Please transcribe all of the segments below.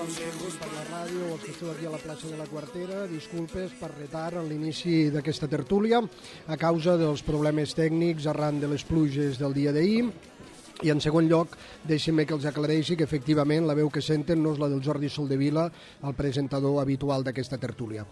per la ràdio o els que esteu aquí a la plaça de la Quartera, disculpes per retard en l'inici d'aquesta tertúlia a causa dels problemes tècnics arran de les pluges del dia d'ahir. I en segon lloc, deixin-me que els aclareixi que efectivament la veu que senten no és la del Jordi Soldevila, el presentador habitual d'aquesta tertúlia.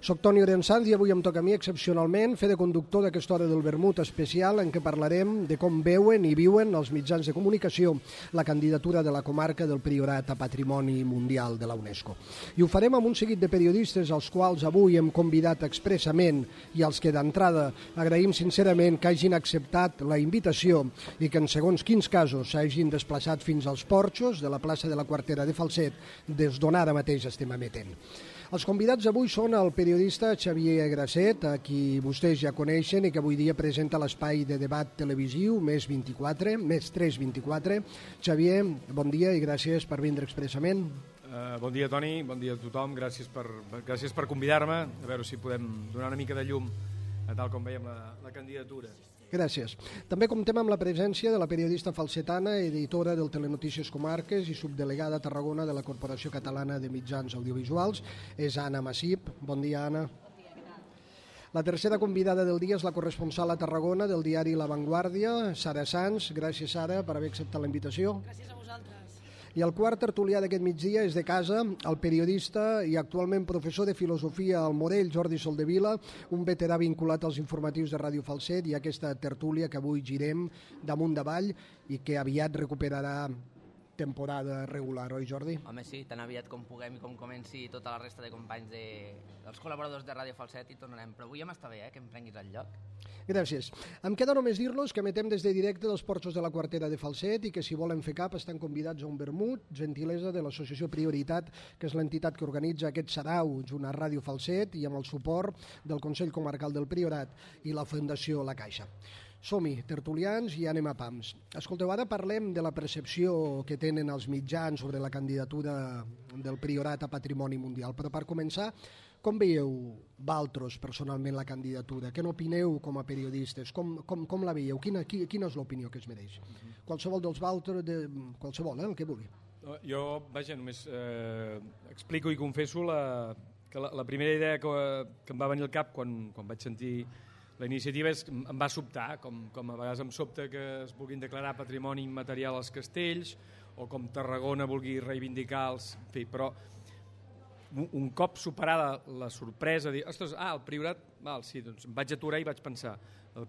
Soc Toni Orensanz i avui em toca a mi excepcionalment fer de conductor d'aquesta hora del vermut especial en què parlarem de com veuen i viuen els mitjans de comunicació la candidatura de la comarca del Priorat a Patrimoni Mundial de la UNESCO. I ho farem amb un seguit de periodistes als quals avui hem convidat expressament i als que d'entrada agraïm sincerament que hagin acceptat la invitació i que en segons quins casos s'hagin desplaçat fins als porxos de la plaça de la Quartera de Falset, des d'on ara mateix estem emetent. Els convidats avui són el periodista Xavier Grasset, a qui vostès ja coneixen i que avui dia presenta l'espai de debat televisiu Més 324. Xavier, bon dia i gràcies per vindre expressament. Bon dia, Toni, bon dia a tothom, gràcies per convidar-me, a veure si podem donar una mica de llum a tal com veiem la candidatura. Gràcies. També comptem amb la presència de la periodista falsetana, editora del Telenotícies Comarques i subdelegada a Tarragona de la Corporació Catalana de Mitjans Audiovisuals. És Anna Massip. Bon dia, Anna. Bon dia, què tal? La tercera convidada del dia és la corresponsal a Tarragona del diari La Vanguardia, Sara Sanz. Gràcies, Sara, per haver acceptat la invitació. Gràcies a vosaltres. I el quart tertulià d'aquest migdia és de casa, el periodista i actualment professor de filosofia al Morell, Jordi Soldevila, un veterà vinculat als informatius de Ràdio Falset i aquesta tertúlia que avui girem damunt davall i que aviat recuperarà temporada regular, oi Jordi? Home, sí, tan aviat com puguem i com comenci tota la resta de companys dels col·laboradors de Ràdio Falset i tornarem. Però avui ja m'està bé, que em prenguis el lloc. Gràcies. Em queda només dir-los que emetem des de directe dels porxos de la Quartera de Falset i que si volen fer cap estan convidats a un vermut, gentilesa de l'associació Prioritat, que és l'entitat que organitza aquest sarau junt a Ràdio Falset i amb el suport del Consell Comarcal del Priorat i la Fundació La Caixa. Som-hi, tertulians, i anem a pams. Escolteu, ara parlem de la percepció que tenen els mitjans sobre la candidatura del Priorat a Patrimoni Mundial. Però per començar, com veieu vosaltres personalment la candidatura? Què n'opineu com a periodistes? Com la veieu? Quina és l'opinió que es mereix? Qualsevol dels vosaltres, qualsevol, el que vulgui. Jo, vaja, només explico i confesso que la primera idea que em va venir al cap quan vaig sentir la iniciativa em va sobtar, com a vegades em sobta que es vulguin declarar patrimoni immaterial als castells o com Tarragona vulgui reivindicar els... En fi, però un cop superada la sorpresa, dir, ostres, el Priorat... Sí, doncs em vaig aturar i vaig pensar, el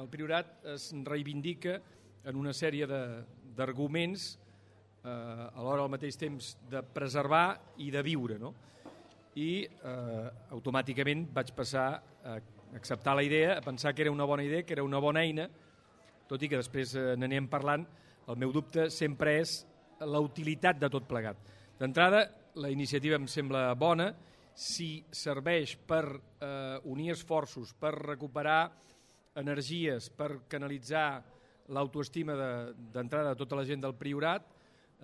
Priorat es reivindica en una sèrie d'arguments alhora al mateix temps de preservar i de viure, no? I automàticament vaig passar a acceptar la idea, a pensar que era una bona idea, que era una bona eina, tot i que després n'anem parlant, el meu dubte sempre és la utilitat de tot plegat. D'entrada, la iniciativa em sembla bona si serveix per unir esforços, per recuperar energies, per canalitzar l'autoestima d'entrada de tota la gent del Priorat,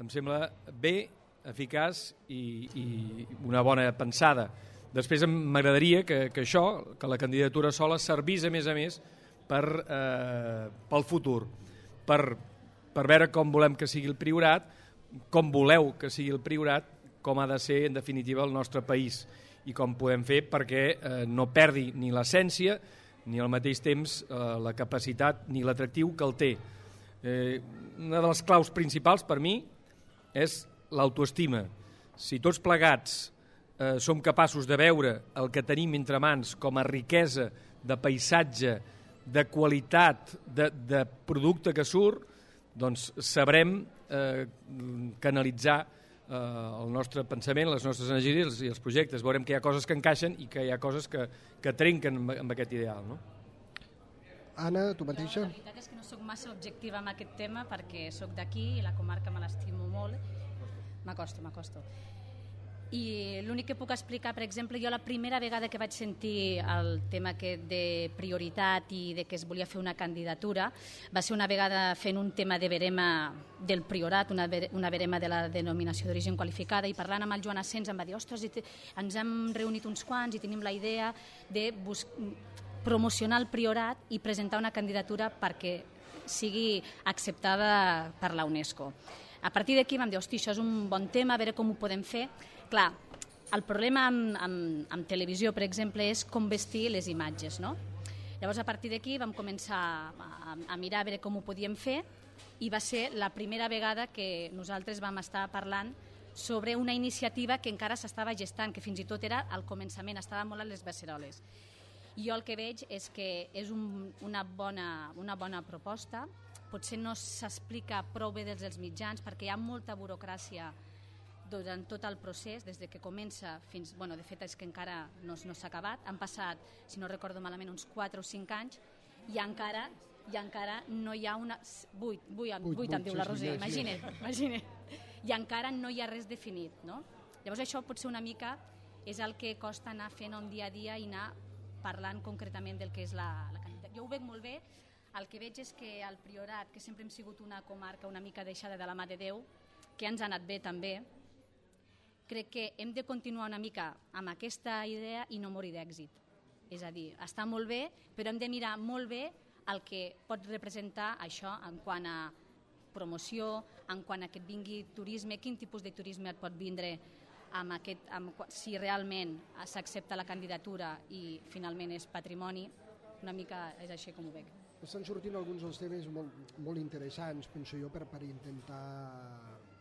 em sembla bé, eficaç i una bona pensada. Després m'agradaria que això, que la candidatura sola, servís a més pel futur, per veure com volem que sigui el Priorat, com voleu que sigui el Priorat, com ha de ser, en definitiva, el nostre país i com podem fer perquè no perdi ni l'essència ni al mateix temps la capacitat ni l'atractiu que el té. Una de les claus principals per mi és l'autoestima. Si tots plegats som capaços de veure el que tenim entre mans com a riquesa de paisatge, de qualitat, de producte que surt, doncs sabrem canalitzar el nostre pensament, les nostres energies i els projectes. Veurem que hi ha coses que encaixen i que hi ha coses que trenquen amb aquest ideal, no? Anna, tu mateixa? La veritat és que no soc massa objectiva amb aquest tema perquè soc d'aquí i la comarca me l'estimo molt. M'acosto. I l'únic que puc explicar, per exemple, jo la primera vegada que vaig sentir el tema de prioritat i de que es volia fer una candidatura va ser una vegada fent un tema de verema del Priorat, una verema de la denominació d'origen qualificada, i parlant amb el Joan Asens em va dir, ostres, ens hem reunit uns quants i tenim la idea de promocionar el Priorat i presentar una candidatura perquè sigui acceptada per la UNESCO. A partir d'aquí vam dir, hosti, això és un bon tema, a veure com ho podem fer. Clar, el problema amb televisió, per exemple, és com vestir les imatges, no? Llavors, a partir d'aquí vam començar a mirar a veure com ho podíem fer i va ser la primera vegada que nosaltres vam estar parlant sobre una iniciativa que encara s'estava gestant, que fins i tot era al començament, estava molt a les beceroles. Jo el que veig és que és una bona proposta, potser no s'explica prou bé des dels mitjans perquè hi ha molta burocràcia durant tot el procés, des que comença fins... Bueno, de fet és que encara no s'ha acabat, han passat, si no recordo malament, uns 4 o 5 anys i encara no hi ha una... 8 em diu la Roser, imagina't. I encara no hi ha res definit, no? Llavors això potser una mica és el que costa anar fent un dia a dia i anar parlant concretament del que és la candidatura. Jo ho veig molt bé, el que veig és que el Priorat, que sempre hem sigut una comarca una mica deixada de la mà de Déu, que ens ha anat bé també, crec que hem de continuar una mica amb aquesta idea i no morir d'èxit. És a dir, està molt bé, però hem de mirar molt bé el que pot representar això en quant a promoció, en quant a que et vingui turisme, quin tipus de turisme et pot vindre si realment s'accepta la candidatura i finalment és patrimoni, una mica és així com ho veig. Estan sortint alguns dels temes molt interessants, penso jo, per intentar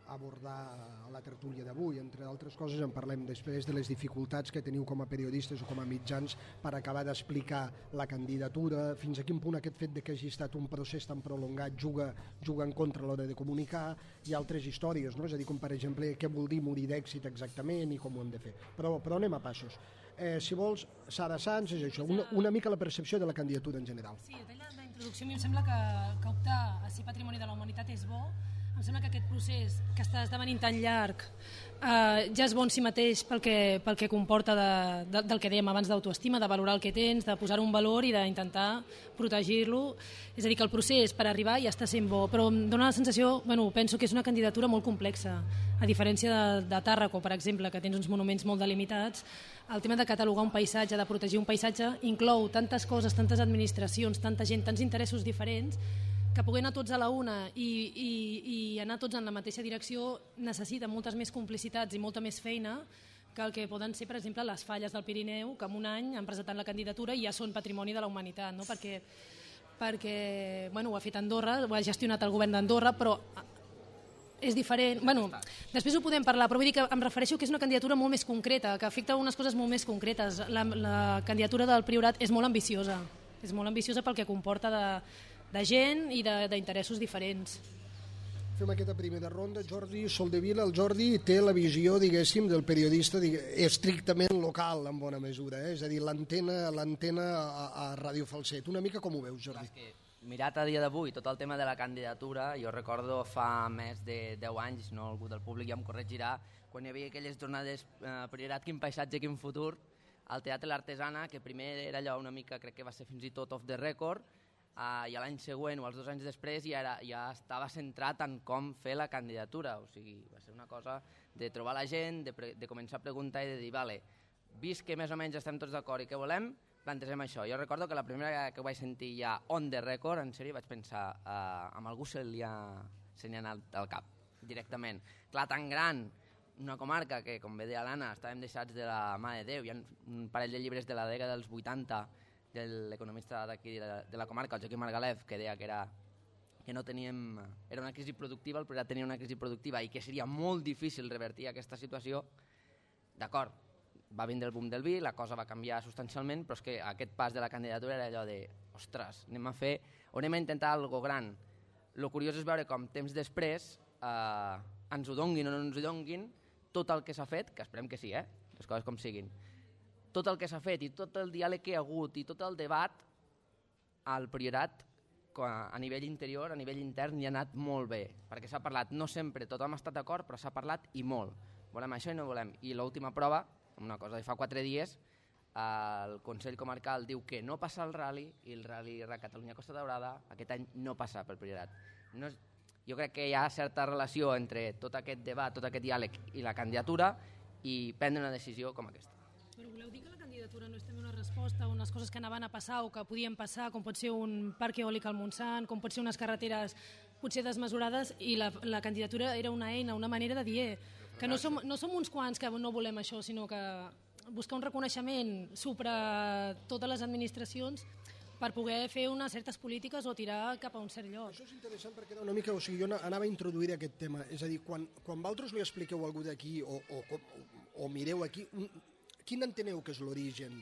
abordar la tertúlia d'avui. Entre altres coses en parlem després de les dificultats que teniu com a periodistes o com a mitjans per acabar d'explicar la candidatura, fins a quin punt aquest fet de que hagi estat un procés tan prolongat juga en contra a l'hora de comunicar, i altres històries, no? És a dir, com per exemple què vol dir morir d'èxit exactament i com ho hem de fer. Però anem a passos. Si vols, Sara Sanz, és això, una mica la percepció de la candidatura en general. Sí, a tall d'introducció a mi em sembla que optar a ser Patrimoni de la Humanitat és bo. Em sembla que aquest procés, que està esdevenint tan llarg, ja és bo en si mateix pel que comporta del que dèiem abans d'autoestima, de valorar el que tens, de posar un valor i d'intentar protegir-lo. És a dir, que el procés per arribar ja està sent bo, però em dóna la sensació, penso que és una candidatura molt complexa. A diferència de Tàrraco, per exemple, que tens uns monuments molt delimitats, el tema de catalogar un paisatge, de protegir un paisatge, inclou tantes coses, tantes administracions, tanta gent, tants interessos diferents, que poder anar tots a la una i anar tots en la mateixa direcció necessita moltes més complicitats i molta més feina que el que poden ser, per exemple, les falles del Pirineu, que en un any han presentat la candidatura i ja són Patrimoni de la Humanitat, no? Perquè ho ha fet Andorra, ho ha gestionat el govern d'Andorra, però és diferent. Després ho podem parlar, però vull dir que em refereixo que és una candidatura molt més concreta, que afecta unes coses molt més concretes. La candidatura del Priorat és molt ambiciosa pel que comporta de gent i d'interessos diferents. Fem aquesta primera ronda. Jordi Soldevila. El Jordi té la visió, diguéssim, del periodista estrictament local, en bona mesura. És a dir, l'antena a Ràdio Falset. Una mica com ho veus, Jordi? Mirat a dia d'avui tot el tema de la candidatura, jo recordo fa més de 10 anys, no, algú del públic ja em corregirà, quan hi havia aquelles jornades Priorat, quin paisatge, quin futur, al Teatre L'Artesana, que primer era allò una mica, crec que va ser fins i tot off the record, i l'any següent o els 2 anys després ja estava centrat en com fer la candidatura, o sigui, va ser una cosa de trobar la gent, de començar a preguntar i de dir, vale, vist que més o menys estem tots d'acord i què volem, plantegem això. Jo recordo que la primera vegada que ho vaig sentir ja on the record, en sèrio, vaig pensar, amb algú se li ha anat al cap, directament. Clar, tan gran, una comarca que, com bé deia l'Anna, estàvem deixats de la mà de Déu, hi ha un parell de llibres de la dècada dels 80 de l'economista d'aquí de la comarca, el Joaquim Margalef, que deia que no teníem... Era una crisi productiva, el Priorat tenia una crisi productiva i que seria molt difícil revertir aquesta situació. D'acord, va vindre el boom del vi, la cosa va canviar substancialment, però és que aquest pas de la candidatura era allò de, ostres, anem a intentar alguna cosa gran. El curiós és veure com temps després ens ho donguin o no ens ho donguin, tot el que s'ha fet, que esperem que sí, les coses com siguin, tot el que s'ha fet i tot el diàleg que hi ha hagut i tot el debat al Priorat a nivell interior, a nivell intern, hi ha anat molt bé, perquè s'ha parlat, no sempre tothom ha estat d'acord, però s'ha parlat i molt. Volem això i no volem. I l'última prova, una cosa de fa 4 dies, el Consell Comarcal diu que no passa el rally i el rally Catalunya Costa Daurada aquest any no passa pel Priorat. Jo crec que hi ha certa relació entre tot aquest debat, tot aquest diàleg i la candidatura i prendre una decisió com aquesta. Però voleu dir que la candidatura no és també una resposta a unes coses que anaven a passar o que podien passar, com pot ser un parc eòlic al Montsant, com pot ser unes carreteres potser desmesurades, i la candidatura era una eina, una manera de dir que no som uns quants que no volem això, sinó que buscar un reconeixement sobre totes les administracions per poder fer unes certes polítiques o tirar cap a un cert lloc. Això és interessant perquè una mica, o sigui, jo anava a introduir aquest tema, és a dir, quan vosaltres li expliqueu a algú d'aquí o mireu aquí, quin enteneu que és l'origen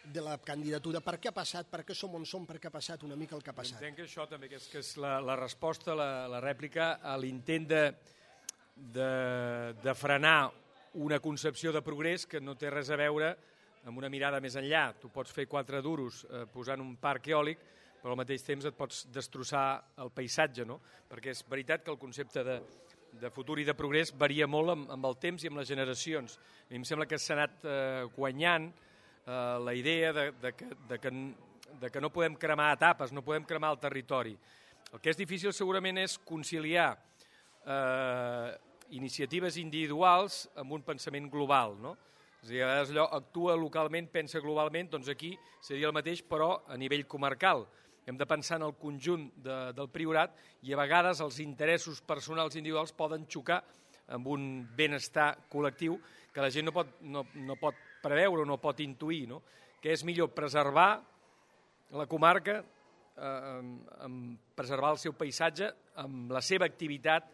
de la candidatura? Per què ha passat? Per què som on som? Per què ha passat una mica el que ha passat? Entenc que això també, que és la resposta, la rèplica a l'intent de frenar una concepció de progrés que no té res a veure amb una mirada més enllà. Tu pots fer 4 duros posant un parc eòlic, però al mateix temps et pots destrossar el paisatge, no? Perquè és veritat que el concepte de futur i de progrés varia molt amb el temps i amb les generacions. A mi em sembla que s'ha anat guanyant la idea de que no podem cremar etapes, no podem cremar el territori. El que és difícil segurament és conciliar iniciatives individuals amb un pensament global, no? És a dir, a vegades allò actua localment, pensa globalment, doncs aquí seria el mateix, però a nivell comarcal. Hem de pensar en el conjunt del Priorat i a vegades els interessos personals individuals poden xocar amb un benestar col·lectiu que la gent no pot preveure o no pot intuir, no? Que és millor preservar la comarca, preservar el seu paisatge amb la seva activitat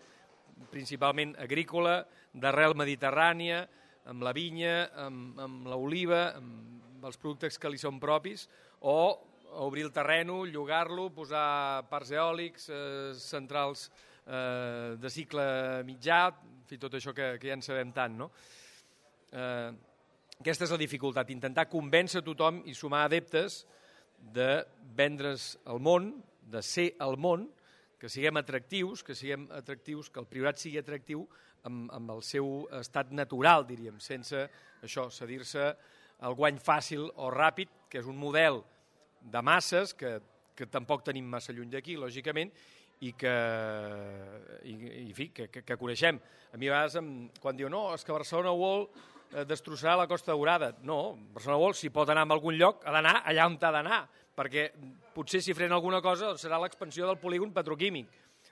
principalment agrícola, d'arrel mediterrània, amb la vinya, amb l'oliva, amb els productes que li són propis, o obrir el terreno, llogar-lo, posar parcs eòlics, centrals de cicle mitjà, en fi, tot això que ja en sabem tant, no? Aquesta és la dificultat, intentar convèncer tothom i sumar adeptes de vendre's al món, de ser al món, que siguem atractius, que el Priorat sigui atractiu amb el seu estat natural, diríem, sense això, cedir-se al guany fàcil o ràpid, que és un model de masses que tampoc tenim massa lluny d'aquí, lògicament, i que coneixem. A mi a vegades, quan diu no, és que Barcelona vol destrossar la Costa Daurada. No, Barcelona World, si pot anar a algun lloc, ha d'anar allà on ha d'anar, perquè potser si frena alguna cosa serà l'expansió del polígon petroquímic.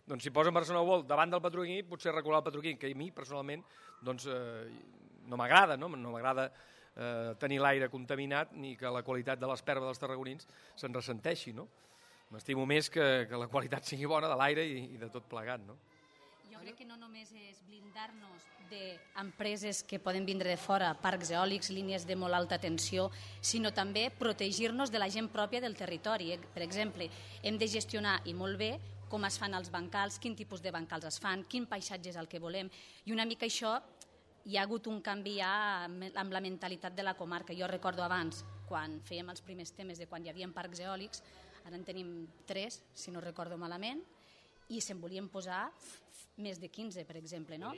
Doncs si posen Barcelona World davant del petroquímic, potser recular el petroquímic, que a mi personalment no m'agrada, no m'agrada tenir l'aire contaminat ni que la qualitat de l'espèrvia dels tarragonins se'n ressenteixi, no? M'estimo més que la qualitat sigui bona de l'aire i de tot plegat, no? Jo crec que no només és blindar-nos d'empreses que poden vindre de fora, parcs eòlics, línies de molt alta tensió, sinó també protegir-nos de la gent pròpia del territori. Per exemple, hem de gestionar, i molt bé, com es fan els bancals, quin tipus de bancals es fan, quin paisatge és el que volem. I una mica això, hi ha hagut un canvi ja amb la mentalitat de la comarca. Jo recordo abans, quan fèiem els primers temes de quan hi havia parcs eòlics, ara en tenim 3, si no recordo malament, i se'n volien posar més de 15, per exemple, no?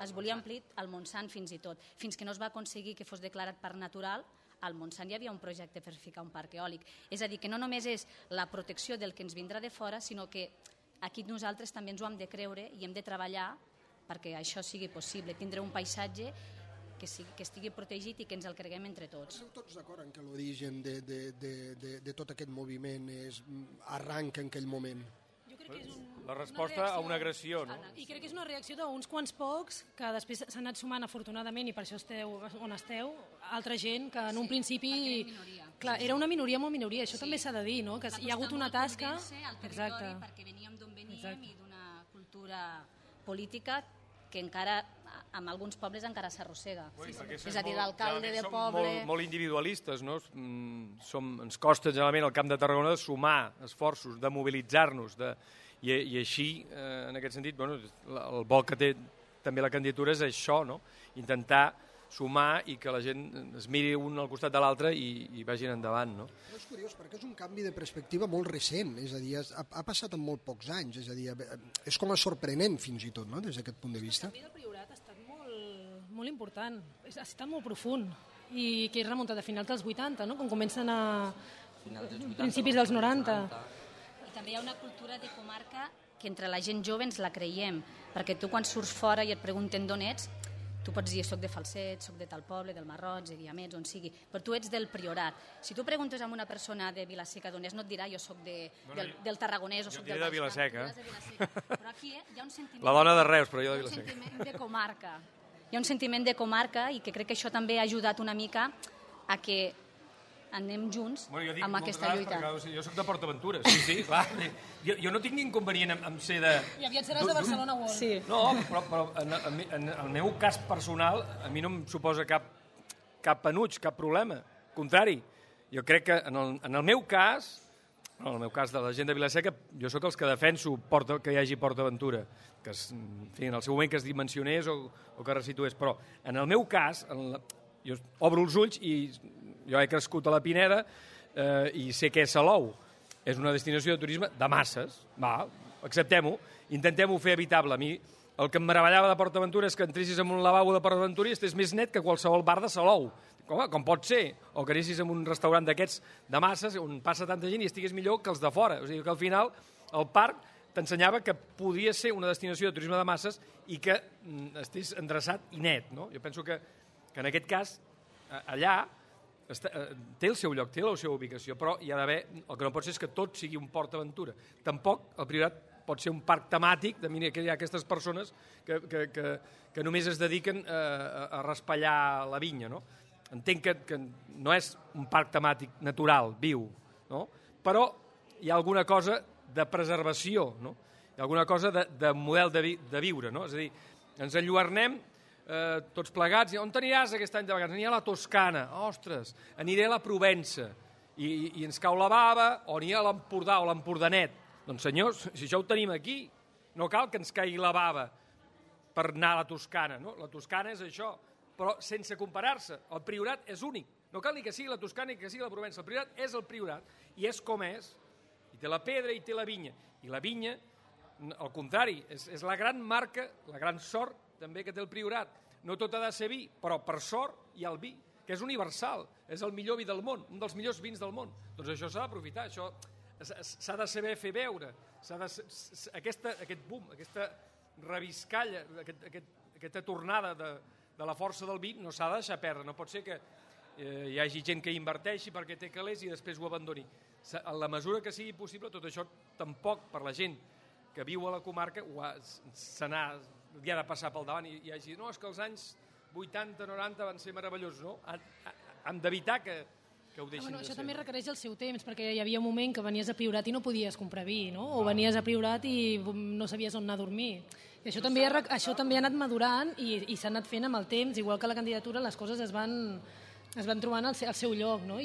Es volia omplir al Montsant fins i tot. Fins que no es va aconseguir que fos declarat parc natural, al Montsant hi havia un projecte per ficar un parc eòlic. És a dir, que no només és la protecció del que ens vindrà de fora, sinó que aquí nosaltres també ens ho hem de creure i hem de treballar perquè això sigui possible, tindre un paisatge que estigui protegit i que ens el creguem entre tots. Esteu tots d'acord en que l'origen de tot aquest moviment arranca en aquell moment? La resposta a una agressió, no? I crec que és una reacció d'uns quants pocs que després s'han anat sumant afortunadament i per això esteu on esteu, altra gent que en un principi... Clar, era una minoria molt minoria, això també s'ha de dir, no? Que hi ha hagut una tasca... Exacte. Perquè veníem d'on veníem i d'una cultura política que encara, amb alguns pobles encara s'arrossega. És a dir, l'alcalde del poble... Som molt individualistes, no? Ens costa generalment al Camp de Tarragona de sumar esforços, de mobilitzar-nos, i així, en aquest sentit, el vol que té també la candidatura és això, no? Intentar sumar i que la gent es miri un al costat de l'altre i vagin endavant, no? És curiós perquè és un canvi de perspectiva molt recent, és a dir, ha passat en molt pocs anys, és a dir, és com a sorprenent fins i tot, no?, des d'aquest punt de vista. El canvi del Priorat ha estat molt important, ha estat molt profund i que és remuntat a finals dels 80, no?, quan comencen a principis dels 90. I també hi ha una cultura de comarca que entre la gent jove ens la creiem, perquè tu quan surts fora i et pregunten d'on ets, Tu pots dir, soc de Falset, soc de tal poble, del Marroig, de Guiamets, on sigui, però tu ets del Priorat. Si tu preguntes a una persona de Vila-seca d'on és, no et dirà jo soc del Tarragonès o soc del de Vila-seca. Però aquí hi ha un sentiment... La dona de Reus, però jo de Vila-seca. Hi ha un sentiment de comarca. Hi ha un sentiment de comarca i que crec que això també ha ajudat una mica a que anem junts amb aquesta lluita. Jo soc de PortAventura, sí, clar. Jo no tinc ni inconvenient amb ser de... I aviat seràs de Barcelona World. Sí. No, però en el meu cas personal a mi no em suposa cap penuig, cap problema. Contrari, jo crec que en el meu cas, en el meu cas de la gent de Vila-seca, jo sóc els que defenso que hi hagi PortAventura, que en el seu moment que es dimensionés o que es resitués, però en el meu cas, jo obro els ulls i jo he crescut a la Pineda i sé què és Salou. És una destinació de turisme de masses. Va, acceptem-ho, intentem-ho fer habitable. A mi el que em meravellava de PortAventura és que entressis en un lavabo de PortAventura i estés més net que qualsevol bar de Salou. Com pot ser? O que anessis en un restaurant d'aquests de masses on passa tanta gent i estigués millor que els de fora. O sigui que al final el parc t'ensenyava que podia ser una destinació de turisme de masses i que estés endreçat i net. No? Jo penso que en aquest cas allà té el seu lloc, té la seva ubicació, però hi ha d'haver, el que no pot ser és que tot sigui un PortAventura. Tampoc el Priorat pot ser un parc temàtic de mira que hi ha aquestes persones que només es dediquen a raspallar la vinya. No? Entenc que no és un parc temàtic natural, viu, no? Però hi ha alguna cosa de preservació, no? Hi ha alguna cosa de model de viure. No? És a dir, ens enlluernem tots plegats, on t'aniràs aquest any de vacances? Aniré a la Toscana, ostres, aniré a la Provença, i ens cau la bava, o aniré a l'Empordà o l'Empordanet. Doncs senyors, si això ho tenim aquí, no cal que ens caigui la bava per anar a la Toscana, no? La Toscana és això, però sense comparar-se. El Priorat és únic. No cal ni que sigui la Toscana ni que sigui la Provença. El Priorat és el Priorat, i és com és. I té la pedra i té la vinya. I la vinya, al contrari, és la gran marca, la gran sort també que té el Priorat. No tot ha de ser vi, però per sort hi ha el vi, que és universal, és el millor vi del món, un dels millors vins del món. Doncs això s'ha d'aprofitar, això s'ha de saber fer veure, aquest boom, aquesta reviscalla, aquesta tornada de la força del vi no s'ha de deixar perdre. No pot ser que hi hagi gent que inverteixi perquè té calés i després ho abandoni. En la mesura que sigui possible, tot això tampoc per la gent que viu a la comarca hi ha de passar pel davant i hi hagi, no, és que els anys 80, 90 van ser meravellosos, no? Han d'evitar que ho deixin de ser. Això també requereix el seu temps, perquè hi havia un moment que venies a Priorat i no podies comprar vi, no? O venies a Priorat i no sabies on anar a dormir. I això també ha anat madurant i s'ha anat fent amb el temps, igual que la candidatura, les coses es van trobant al seu lloc, no?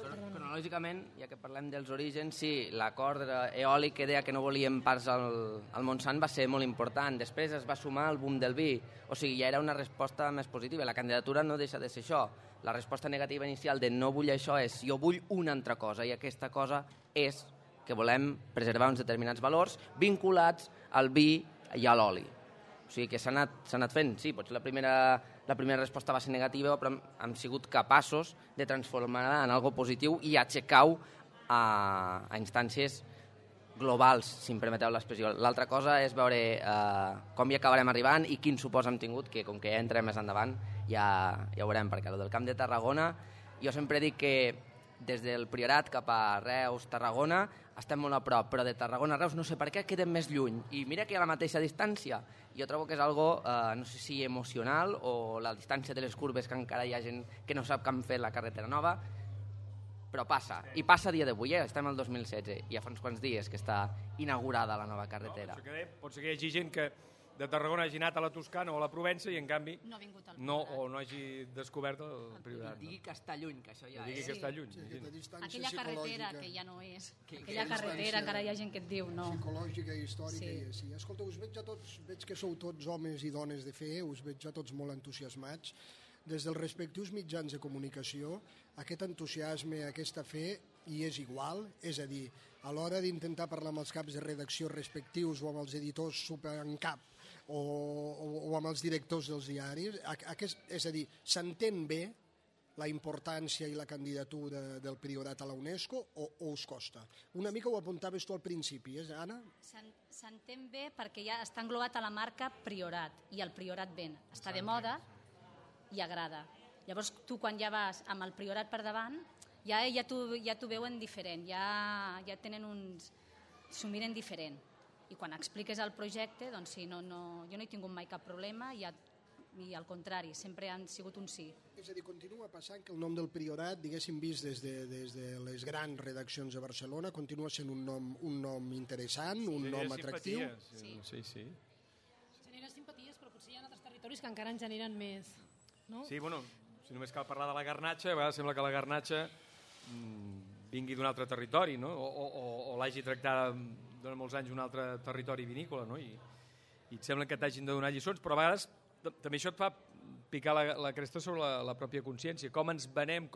Cronològicament, ja que parlem dels orígens, sí, l'acord eòlic que deia que no volíem parcs al Montsant va ser molt important. Després es va sumar el boom del vi, o sigui, ja era una resposta més positiva. La candidatura no deixa de ser això. La resposta negativa inicial de no vull això és jo vull una altra cosa, i aquesta cosa és que volem preservar uns determinats valors vinculats al vi i a l'oli. O sigui que s'ha anat fent, sí, potser la primera resposta va ser negativa, però hem sigut capaços de transformar-la en algo positiu i aixecar-ho a instàncies globals, si em permeteu l'expressió. L'altra cosa és veure com hi acabarem arribant i quin supòs hem tingut, que com que ja entrem més endavant ja ho veurem, perquè el del Camp de Tarragona, jo sempre dic que des del Priorat cap a Reus, Tarragona, estem molt a prop, però de Tarragona a Reus no sé per què quedem més lluny. I mira que hi ha la mateixa distància. Jo trobo que és algo, no sé si emocional o la distància de les curves, que encara hi ha gent que no sap com fer la carretera nova, però passa. I passa a dia d'avui, estem al 2016, i ja fa uns quants dies que està inaugurada la nova carretera. No, pot ser que hi hagi gent que de Tarragona hagi anat a la Toscana o a la Provença i en canvi no hagi descobert el Priorat. Digui que està lluny, que això ja és. Digui que està lluny. Aquella carretera que ja no és. Aquella carretera encara hi ha gent que et diu no. Psicològica i històrica i així. Escolta, us veig a tots, veig que sou tots homes i dones de fe, us veig a tots molt entusiasmats. Des dels respectius mitjans de comunicació, aquest entusiasme, aquesta fe, hi és igual, és a dir, a l'hora d'intentar parlar amb els caps de redacció respectius o amb els editors super en cap o amb els directors dels diaris, és a dir, s'entén bé la importància i la candidatura del Priorat a la UNESCO o us costa? Una mica ho apuntaves tu al principi, Anna? S'entén bé perquè ja està englobat a la marca Priorat, i el Priorat ven. Està de moda i agrada. Llavors tu quan ja vas amb el Priorat per davant ja t'ho veuen diferent, ja tenen uns... s'ho miren diferent. I quan expliques el projecte, doncs sí, jo no he tingut mai cap problema i al contrari, sempre han sigut un sí. És a dir, continua passant que el nom del Priorat, diguéssim, vist des de les grans redaccions de Barcelona, continua sent un nom interessant, un nom atractiu. Sí. Genera simpaties, però potser hi ha altres territoris que encara en generen més, no? Sí, bueno, si només cal parlar de la garnatxa, a vegades sembla que la garnatxa vingui d'un altre territori, no? O l'hagi tractada durant molts anys un altre territori vinícola, no? I et sembla que t'hagin de donar lliçons, però a vegades també això et fa picar la cresta sobre la pròpia consciència, com ens venem,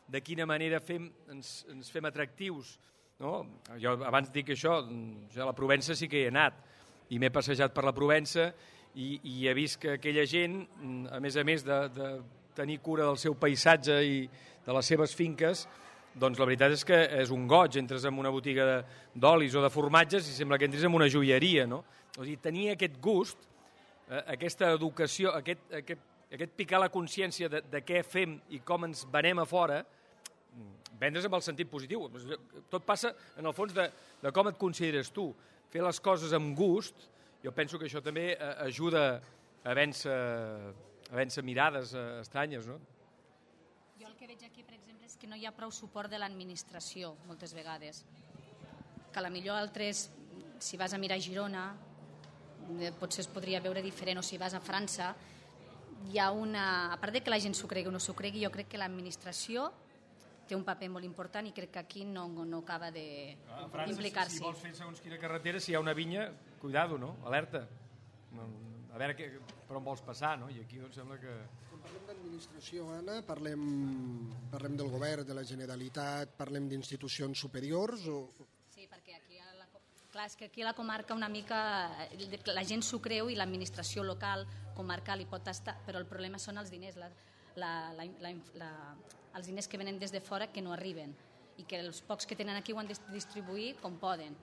de quina manera ens fem atractius, no? Jo abans dic això, a la Provença sí que hi he anat, i m'he passejat per la Provença i he vist que aquella gent, a més de tenir cura del seu paisatge i de les seves finques, doncs la veritat és que és un goig. Entres en una botiga d'olis o de formatges i sembla que entres en una joieria, no? O sigui, tenir aquest gust, aquesta educació, aquest picar la consciència de què fem i com ens venem a fora, vendre's amb el sentit positiu. Tot passa, en el fons, de com et consideres tu. Fer les coses amb gust, jo penso que això també ajuda a vèncer mirades estranyes, no? Jo el que veig aquí, per exemple, és que no hi ha prou suport de l'administració, moltes vegades. Que potser altres, si vas a mirar Girona, potser es podria veure diferent, o si vas a França, hi ha a part de que la gent s'ho cregui o no s'ho cregui, jo crec que l'administració té un paper molt important i crec que aquí no acaba d'implicar-s'hi. Si vols fer segons quina carretera, si hi ha una vinya, cuidado, no? Alerta. A veure per on vols passar, no? I aquí doncs sembla que... Quan parlem d'administració, Anna, parlem del govern, de la Generalitat, parlem d'institucions superiors o... Sí, perquè aquí clar, és que aquí a la comarca una mica la gent s'ho creu i l'administració local, comarcal hi pot estar, però el problema són els diners, els diners que venen des de fora que no arriben i que els pocs que tenen aquí ho han de distribuir com poden.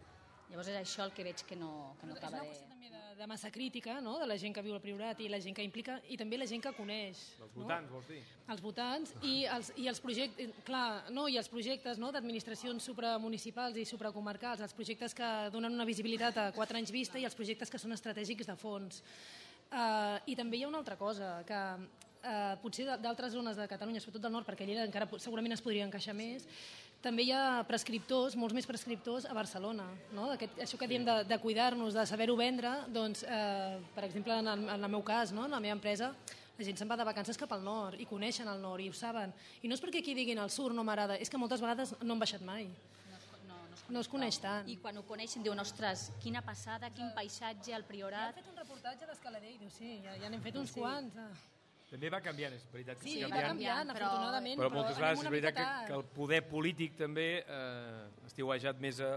Llavors és això el que veig que no acaba de... És una qüestió també de massa crítica, no?, de la gent que viu al Priorat i la gent que implica, i també la gent que coneix. Els votants, no? Vols dir? Els votants i els projectes, clar, no, i els projectes, no?, d'administracions supramunicipals i supracomarcals, els projectes que donen una visibilitat a 4 anys vista i els projectes que són estratègics de fons. I també hi ha una altra cosa, que potser d'altres zones de Catalunya, sobretot del nord, perquè Lleida encara segurament es podria encaixar més, també hi ha prescriptors, molts més prescriptors a Barcelona, no? Això que diem de cuidar-nos, de saber-ho vendre, doncs, per exemple, en el meu cas, no?, en la meva empresa, la gent se'n va de vacances cap al nord i coneixen el nord i ho saben. I no és perquè aquí diguin el sur no m'agrada, és que moltes vegades no han baixat mai. No es coneix tant. I quan ho coneixen diuen, ostres, quina passada, quin paisatge, el Priorat... Ja han fet un reportatge d'Escalader i diu, sí, ja n'hem fet uns quants. També va canviant, és veritat. Sí, va canviant, afortunadament, però moltes vegades és veritat que el poder polític també estiuejat més a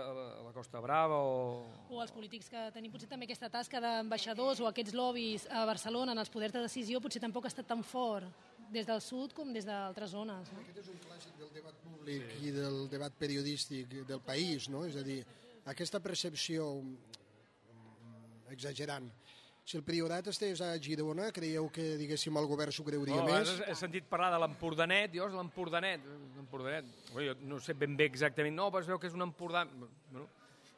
la Costa Brava o els polítics que tenim potser també aquesta tasca d'ambaixadors o aquests lobbies a Barcelona en els poders de decisió potser tampoc ha estat tan fort des del sud com des d'altres zones. No? Aquest és un clàssic del debat públic i del debat periodístic del país, no? És a dir, aquesta percepció exagerant. Si el Priorat estigués a Girona, creieu que, diguéssim, el govern s'ho creuria més? He sentit parlar de l'Empordanet, dius, l'Empordanet. Jo no sé ben bé exactament, no, però es veu que és un Empordà... Bueno,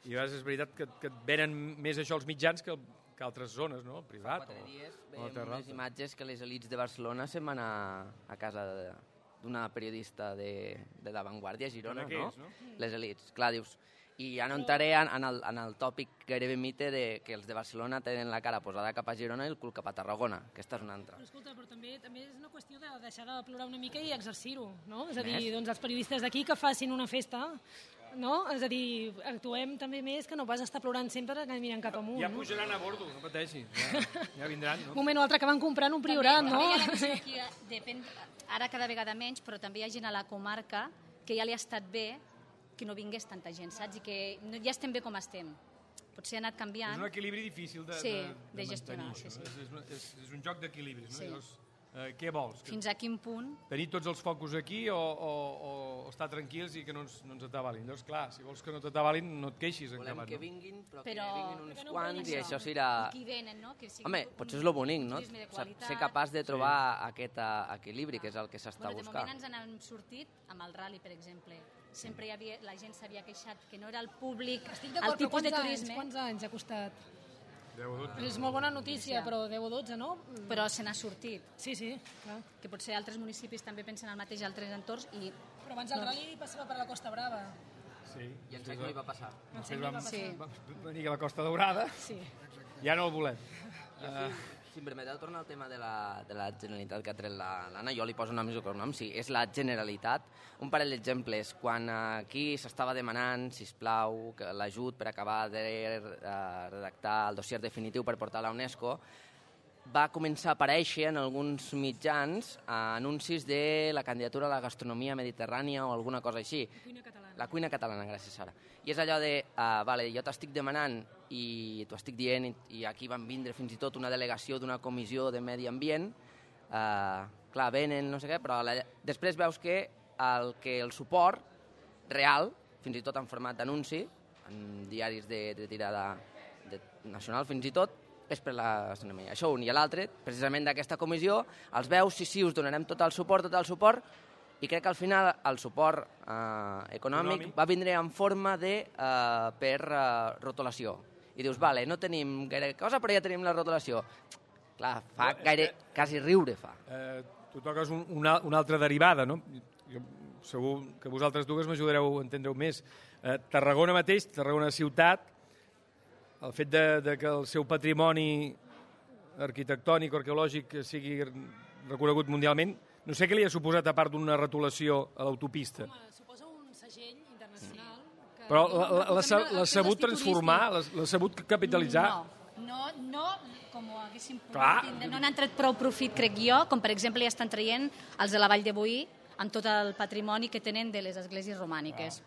i a vegades és veritat que et venen més això els mitjans que altres zones, no? El Privat. Fa 4 dies veiem unes imatges que les elites de Barcelona se'n van a casa d'una periodista de La Vanguardia, a Girona, no? Les elites. Clar, dius... I ja no entraré en el tòpic gairebé mite de que els de Barcelona tenen la cara posada cap a Girona i el cul cap a Tarragona. Aquesta és una altra. Però escolta, però també és una qüestió de deixar de plorar una mica i exercir-ho, no? És a dir, doncs els periodistes d'aquí que facin una festa, no? És a dir, actuem també més que no vas estar plorant sempre que miren cap amunt. Ja pujaran a bordo, no pateixi. Ja vindran, no? Un moment o altre que van comprant un Priorat, no? Depèn, ara cada vegada menys, però també hi ha gent a la comarca que ja li ha estat bé que no vingués tanta gent, saps? I que ja estem bé com estem. Potser ha anat canviant. És un equilibri difícil de gestionar. Sí. És un joc d'equilibris. No? Sí. Llavors, Què vols? Fins a quin punt? Tenir tots els focus aquí o estar tranquils i que no ens atabalin? Llavors, clar, si vols que no t'atabalin, no et queixis. Volem que vinguin, però que Però- vinguin uns Però no quants i això. això serà... I qui venen, no? Que sigui Home, un potser és el bonic, no? turisme de qualitat. Ser capaç de trobar aquest equilibri, que és el que s'està De buscant. moment ens n'hem sortit amb el rally, per exemple. Sempre la gent s'havia queixat que no era el públic, Estic el d'acord, però tipus de turisme, quants anys ha costat? 10 o 12. És molt bona notícia, però 10 o 12, no? però se n'ha sortit. Sí, sí, clar. Que potser altres municipis també pensen el mateix, altres entorns, i Però abans el rally passava per la Costa Brava. Sí. I ens no hi va passar. Després va vam passar. venir a la Costa Daurada, Sí. ja no el volem. Si em permeteu tornar al tema de la Generalitat que ha tret l'Anna, jo li poso noms i cognoms, sí, és la Generalitat. Un parell d'exemples, quan aquí s'estava demanant, sisplau, l'ajut per acabar de redactar el dossier definitiu per portar a la UNESCO, va començar a aparèixer en alguns mitjans anuncis de la candidatura a la gastronomia mediterrània o alguna cosa així. Cuina catalana. La cuina catalana, gràcies, Sara. I és allò de, vale, jo t'estic demanant i t'ho estic dient, i aquí van vindre fins i tot una delegació d'una comissió de medi ambient, clar, venen, no sé què, però després veus que el suport real, fins i tot en format d'anunci, en diaris de tirada nacional fins i tot, és per la gastronomia. Això un. I l'altre, precisament d'aquesta comissió, els veus, sí, us donarem tot el suport, i crec que al final el suport econòmic va vindre en forma de per rotulació. I dius, vale, no tenim gaire cosa, però ja tenim la rotulació. Clar, fa quasi riure fa. Tu toques una altra derivada, no? Jo, segur que vosaltres dues m'ajudareu a entendre-ho més. Tarragona mateix, Tarragona ciutat, el fet de que el seu patrimoni arquitectònic o arqueològic sigui reconegut mundialment, no sé què li ha suposat a part d'una retolació a l'autopista. Home, suposa un segell internacional. Que Però diu l'ha sabut transformar, l'ha sabut capitalitzar. No, com ho haguéssim pogut Clar. tindre. No n'han tret prou profit, crec jo, com per exemple ja estan traient els de la Vall de Boí amb tot el patrimoni que tenen de les esglésies romàniques.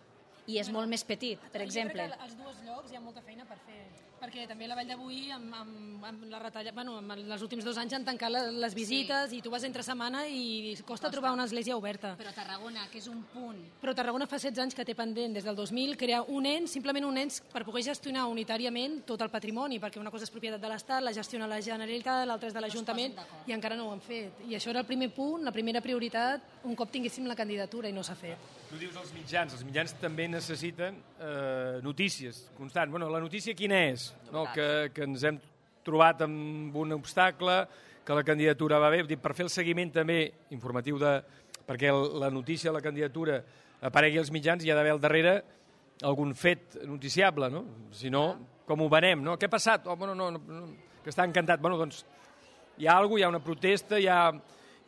I és molt més petit, per exemple. Jo crec que als dos llocs hi ha molta feina per fer, perquè també la Vall de Boí amb la retalla, bueno, amb els últims 2 anys han tancat les visites i tu vas entre setmana i costa trobar una església oberta. Però Tarragona, que és un punt... Però Tarragona fa 16 anys que té pendent, des del 2000, crear un ens, simplement un ens per poder gestionar unitàriament tot el patrimoni, perquè una cosa és propietat de l'Estat, la gestiona la Generalitat, l'altra és de l'Ajuntament, i encara no ho han fet. I això era el primer punt, la primera prioritat, un cop tinguéssim la candidatura, i no s'ha fet. Tu dius els mitjans també necessiten notícies constants. Bueno, la notícia quina és? No, que ens hem trobat amb un obstacle, que la candidatura va bé, per fer el seguiment també informatiu perquè la notícia de la candidatura aparegui als mitjans hi ha d'haver al darrere algun fet noticiable, no? Si no, com ho venem, no? Què ha passat? Oh, bueno, no, que està encantat. Bueno, doncs hi ha alguna cosa, hi ha una protesta, hi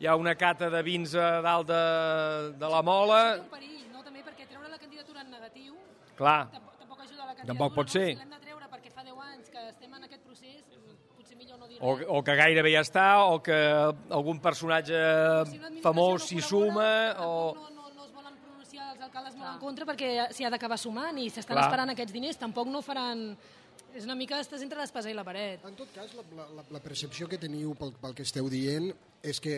ha una cata de vins a dalt de la mola... Això té un perill, no? També perquè treure la candidatura en negatiu Clar, tampoc ajuda a la candidatura. Tampoc pot ser. No? Si l'hem de treure perquè fa 10 anys que estem en aquest procés, potser millor no dir res. o que gairebé ja està, o que algun personatge Si una administració famós no s'hi col·labora, suma, o... tampoc no es volen pronunciar els alcaldes molt en contra perquè s'hi ha d'acabar sumant i s'estan Clar. esperant aquests diners. Tampoc no faran... És una mica, estàs entre l'espasa i la paret. En tot cas, la percepció que teniu pel que esteu dient és que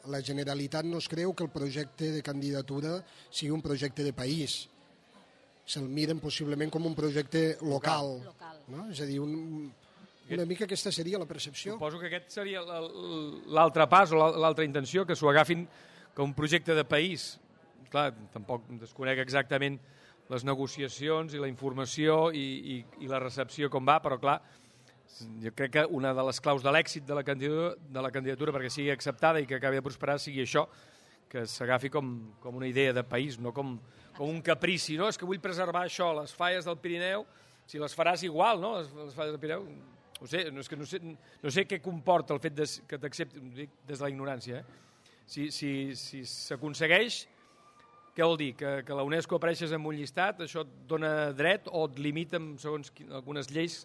la Generalitat no es creu que el projecte de candidatura sigui un projecte de país. Se'l miren possiblement com un projecte local. No? És a dir, una mica aquesta seria la percepció. Suposo que aquest seria l'altre pas o l'altra intenció, que s'ho agafin com un projecte de país. Clar, tampoc desconec exactament les negociacions i la informació i la recepció com va, però clar, jo crec que una de les claus de l'èxit de la candidatura perquè sigui acceptada i que acabi de prosperar sigui això, que s'agafi com una idea de país, no com un caprici, no? És que vull preservar això, les falles del Pirineu, si les faràs igual, no? Les falles del Pirineu, no sé què comporta el fet que t'accepti, dic des de la ignorància, si s'aconsegueix, què vol dir? Que la UNESCO apareixes en un llistat, això et dona dret o et limita, segons algunes lleis,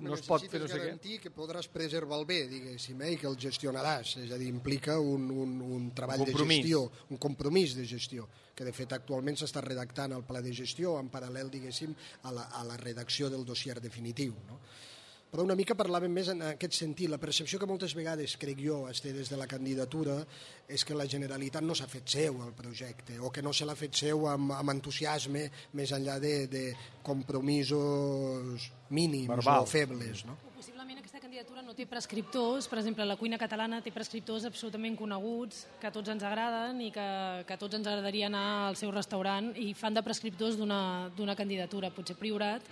no es pot fer no sé què? Necessites garantir que podràs preservar el bé, diguéssim, i que el gestionaràs. És a dir, implica un treball de gestió, un compromís de gestió, que de fet actualment s'està redactant el pla de gestió en paral·lel, diguéssim, a la redacció del dossier definitiu. No? però una mica parlàvem més en aquest sentit. La percepció que moltes vegades, crec jo, es té des de la candidatura és que la Generalitat no s'ha fet seu el projecte, o que no se l'ha fet seu amb entusiasme, més enllà de compromisos mínims o febles, no? Possiblement aquesta candidatura no té prescriptors, per exemple, la cuina catalana té prescriptors absolutament coneguts, que a tots ens agraden i que a tots ens agradaria anar al seu restaurant, i fan de prescriptors d'una candidatura. Potser Priorat,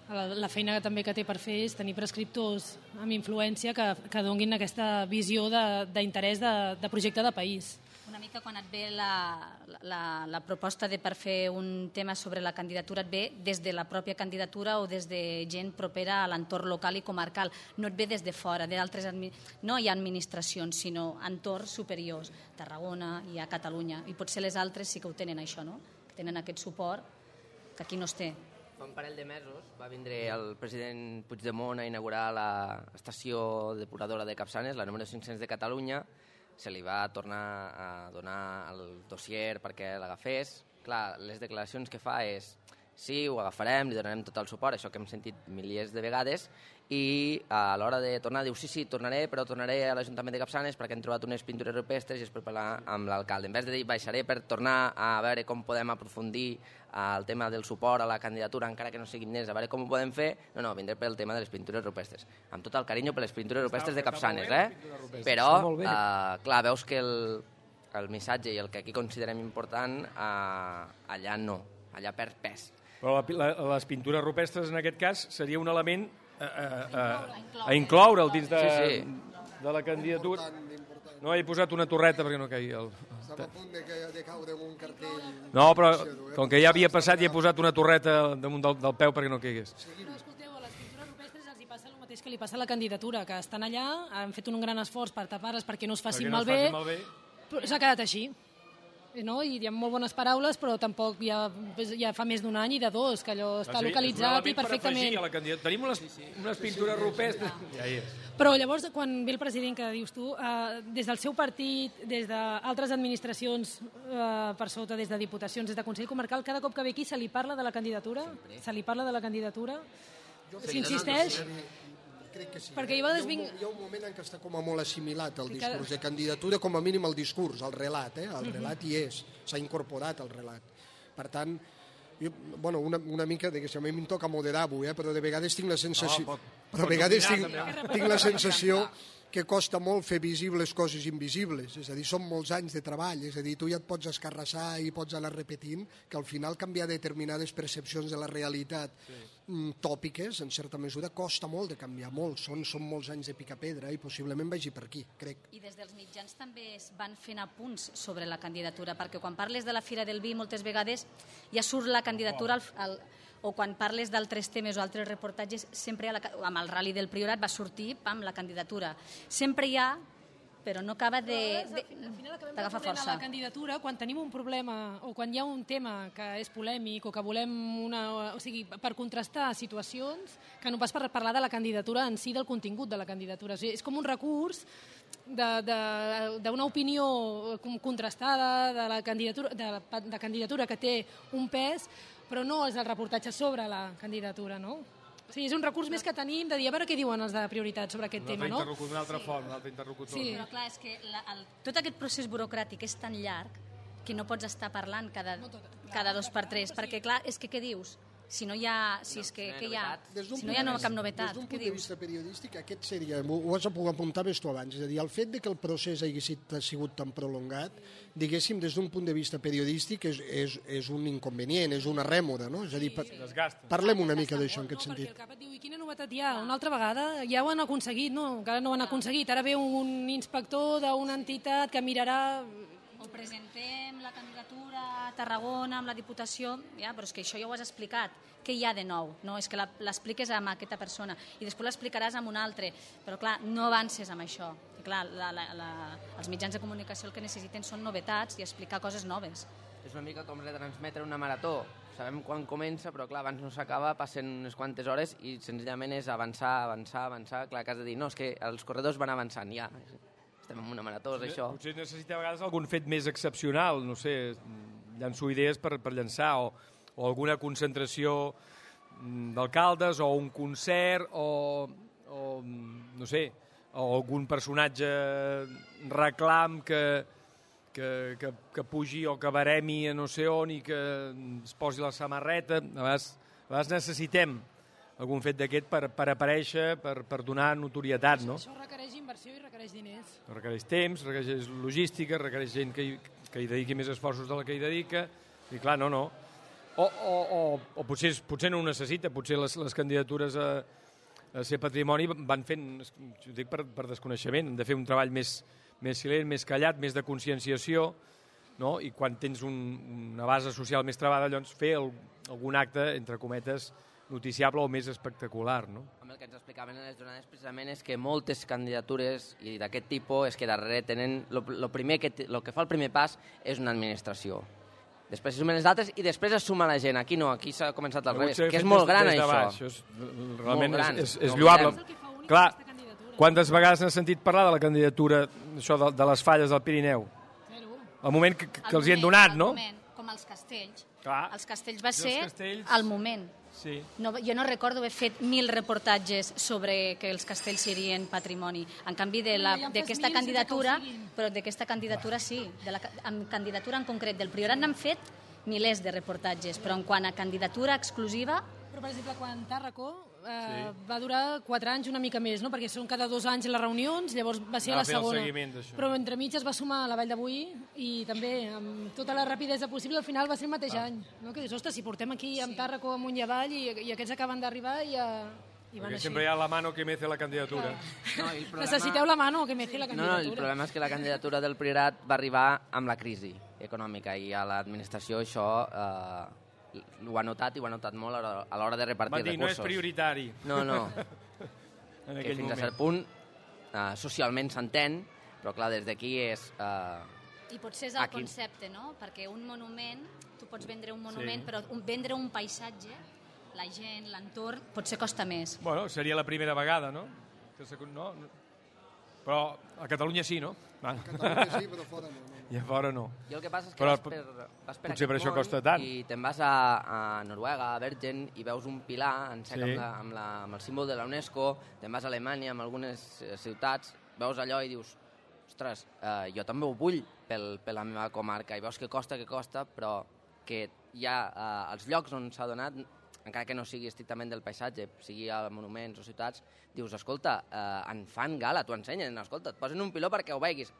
la feina també que té per fer és tenir prescriptors amb influència que donguin aquesta visió d'interès de projecte de país. Una mica quan et ve la proposta per fer un tema sobre la candidatura, et ve des de la pròpia candidatura o des de gent propera a l'entorn local i comarcal. No et ve des de fora, no hi ha administracions, sinó entorns superiors. Tarragona i a Catalunya. I potser les altres sí que ho tenen, això, no? Tenen aquest suport que aquí no es té. Fa un parell de mesos va vindre el president Puigdemont a inaugurar l'estació depuradora de Capçanes, la número 500 de Catalunya. Se li va tornar a donar el dossier perquè l'agafés. Clar, les declaracions que fa és sí, ho agafarem, li donarem tot el suport, això que hem sentit milers de vegades, i a l'hora de tornar diu sí, tornaré, però tornaré a l'Ajuntament de Capçanes perquè hem trobat unes pintures rupestres i és per parlar amb l'alcalde. En vez de dir baixaré per tornar a veure com podem aprofundir el tema del suport a la candidatura, encara que no siguin nens, a veure com ho podem fer, no, vindré pel tema de les pintures rupestres. Amb tot el carinyo per les pintures rupestres de Capçanes, Però, clar, veus que el missatge i el que aquí considerem important, allà no, allà perd pes. Però les pintures rupestres, en aquest cas, seria un element a incloure'l dins de la candidatura. No he posat una torreta perquè no caigui el... Estava a punt de caure en un cartell... No, però com que ja havia passat, ja he posat una torreta damunt del peu perquè no caigués. No, escolteu, a les pintures rupestres els hi passa el mateix que li passa a la candidatura, que estan allà, han fet un gran esforç per tapar-les perquè no es facin malbé, però s'ha quedat així. No? I hi ha molt bones paraules, però tampoc ja fa més d'un any i de dos, que allò està localitzat i perfectament... Tenim unes pintures rupestres... Ja hi és. Però llavors, quan ve el president, que dius tu, des del seu partit, des d'altres administracions per sota, des de diputacions, des de Consell Comarcal, cada cop que ve aquí se li parla de la candidatura? Se li parla de la candidatura? S'insisteix? Crec que sí. Perquè hi ha un moment en què està com a molt assimilat el discurs de candidatura, com a mínim el discurs, el relat, el relat hi és, s'ha incorporat el relat. Per tant, jo, una mica, diguéssim, a mi em toca moderar-ho, però de vegades tinc la sensació... Però a vegades tinc la sensació que costa molt fer visibles coses invisibles, és a dir, són molts anys de treball, és a dir, tu ja et pots escarrassar i pots anar repetint, que al final canviar determinades percepcions de la realitat tòpiques, en certa mesura, costa molt de canviar, molt, són molts anys de picapedra i possiblement vagi per aquí, crec. I des dels mitjans també es van fent apunts sobre la candidatura, perquè quan parles de la Fira del Vi moltes vegades ja surt la candidatura o quan parles d'altres temes o altres reportatges, sempre amb el Rally del Priorat va sortir, la candidatura. Sempre hi ha, però no acaba d'agafar força. A la candidatura, quan tenim un problema o quan hi ha un tema que és polèmic o que volem per contrastar situacions, que no pas per parlar de la candidatura en si, del contingut de la candidatura. O sigui, és com un recurs d'una opinió contrastada de candidatura que té un pes, però no és el reportatge sobre la candidatura, no? O sigui, és un recurs més que tenim de dir a veure què diuen els de prioritat sobre aquest tema, no? Un altre font, un altre interlocutor. Sí, però clar, és que tot aquest procés burocràtic és tan llarg que no pots estar parlant cada 2 per 3, perquè clar, és que què dius? Si no hi ha, si no hi ha cap novetat, des d'un punt de vista periodístic, aquest seria, ho apuntaves tu abans, és a dir, el fet que el procés hagi sigut tan prolongat, diguéssim, des d'un punt de vista periodístic és un inconvenient, és una rèmora, no? És a dir, parlem una mica d'això en aquest sentit. Perquè el cap et diu, i quina novetat hi ha? Una altra vegada ja ho han aconseguit, no? Encara no ho han aconseguit, ara ve un inspector d'una entitat que mirarà... O presentem la candidatura a Tarragona amb la Diputació, però és que això ja ho has explicat. Què hi ha de nou? No, és que l'expliques amb aquesta persona i després l'explicaràs amb un altre. Però clar, no avances amb això. I clar, els mitjans de comunicació el que necessiten són novetats i explicar coses noves. És una mica com retransmetre una marató. Sabem quan comença, però clar, abans no s'acaba, passen unes quantes hores i senzillament és avançar. Clar, que has de dir, no, és que els corredors van avançant, ja. Estem en una marató, és això. Potser necessita a vegades algun fet més excepcional, no sé, llanço idees per llançar, o alguna concentració d'alcaldes, o un concert, o o no sé, o algun personatge reclam que pugi o que baremi a no sé on i que es posi la samarreta. A vegades necessitem algun fet d'aquest per aparèixer, per donar notorietat, no? Això requereix inversió i requereix diners. Requereix temps, requereix logística, requereix gent que hi dediqui més esforços de la que hi dedica, i clar, no. O potser no ho necessita, potser les candidatures a ser patrimoni van fent, ho dic per desconeixement, han de fer un treball més silent, més callat, més de conscienciació, no? I quan tens una base social més trebada, llavors fer algun acte, entre cometes, noticiable o més espectacular, no? El que ens explicaven en les jornades precisament és que moltes candidatures i d'aquest tipus és que darrere tenen... El que fa el primer pas és una administració. Després es sumen les altres i després es suma la gent. Aquí no, aquí s'ha començat al revés, que és molt gran això. Realment és lloable. Clar, quantes vegades n'has sentit parlar de la candidatura de les falles del Pirineu? El moment que els hi han donat, no? Com els castells. Clar. Els castells va ser al moment. Sí. Jo no recordo haver fet 1000 reportatges sobre que els castells serien patrimoni. En canvi, d'aquesta candidatura, però d'aquesta candidatura sí, amb candidatura en concret del Priorat n'han fet milers de reportatges, però en quant a candidatura exclusiva... Però, per exemple, quan Tàrraco va durar 4 anys, una mica més, no? Perquè són cada 2 anys les reunions, llavors va ser a la segona. Però entremig es va sumar a la Vall de Boí i també, amb tota la rapidesa possible, al final va ser el mateix any. No? Que dius, ostres, si portem aquí amb Tàrraco amunt i avall i aquests acaben d'arribar i van així. Sempre hi ha la mano que mece la candidatura. Necessiteu la mano que mece la candidatura. No, el problema és que la candidatura del Priorat va arribar amb la crisi econòmica i a l'administració això... ho ha notat i ho ha notat molt a l'hora de repartir recursos. Va dir, no és prioritari. No. Que fins a cert punt socialment s'entén, però clar, des d'aquí és... I potser és el concepte, no? Perquè un monument, tu pots vendre un monument, però vendre un paisatge, la gent, l'entorn, potser costa més. Bueno, seria la primera vegada, no? Però a Catalunya sí, no? A Catalunya sí, però fora no. I a fora no. I el que passa és que vas per potser per això costa tant. I te'n vas a Noruega, a Bergen, i veus un pilar en sec amb el símbol de la UNESCO, te'n vas a Alemanya, amb algunes ciutats, veus allò i dius, ostres, jo també ho vull per la meva comarca, i veus que costa, però que hi ha els llocs on s'ha donat, encara que no sigui estrictament del paisatge, sigui a monuments o ciutats, dius, escolta, en fan gala, t'ho ensenyen, escolta, et posen un piló perquè ho veguis,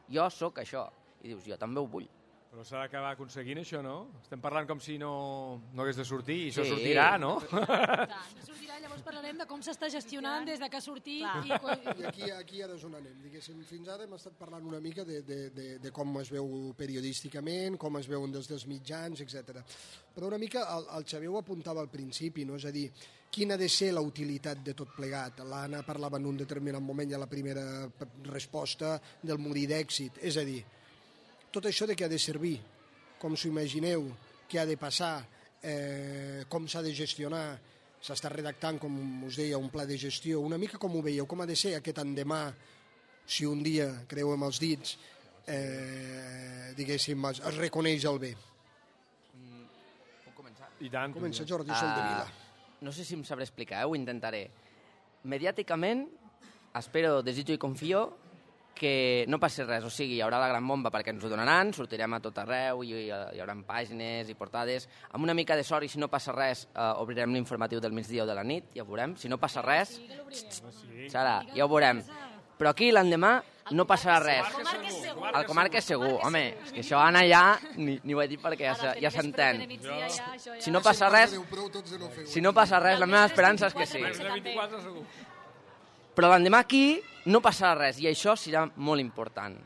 jo sóc això. I dius, jo també ho vull. Però s'ha d'acabar aconseguint això, no? Estem parlant com si no hagués de sortir, i això sortirà, no? No sortirà, llavors parlarem de com s'està gestionant des que ha sortit. I aquí ara és on anem. Diguéssim, fins ara hem estat parlant una mica de com es veu periodísticament, com es veuen des dels mitjans, etc. Però una mica el Xavier ho apuntava al principi, no? És a dir, quina ha de ser la utilitat de tot plegat? L'Anna parlava en un determinat moment, ja la primera resposta del molí d'èxit. És a dir, tot això de què ha de servir, com s'ho imagineu, què ha de passar, com s'ha de gestionar, s'està redactant, com us deia, un pla de gestió, una mica com ho veieu, com ha de ser aquest endemà, si un dia, creuem els dits, diguéssim, es reconeix el bé. Puc començar? I tant. Comença Jordi Soldevila. No sé si em sabré explicar, ho intentaré. Mediàticament, espero, desitjo i confio que no passi res, o sigui, hi haurà la gran bomba perquè ens ho donaran, sortirem a tot arreu, hi haurà pàgines i portades, amb una mica de sort i si no passa res obrirem l'informatiu del migdia o de la nit, ja ho veurem, si no passa res, Sara, ja ho veurem. Però aquí l'endemà no passarà res. El Comarca és segur, home, és que això Anna ja, ni ho he dit perquè ja s'entén. Si no passa res, la meva esperança és que sí. Però l'endemà aquí no passarà res, i això serà molt important.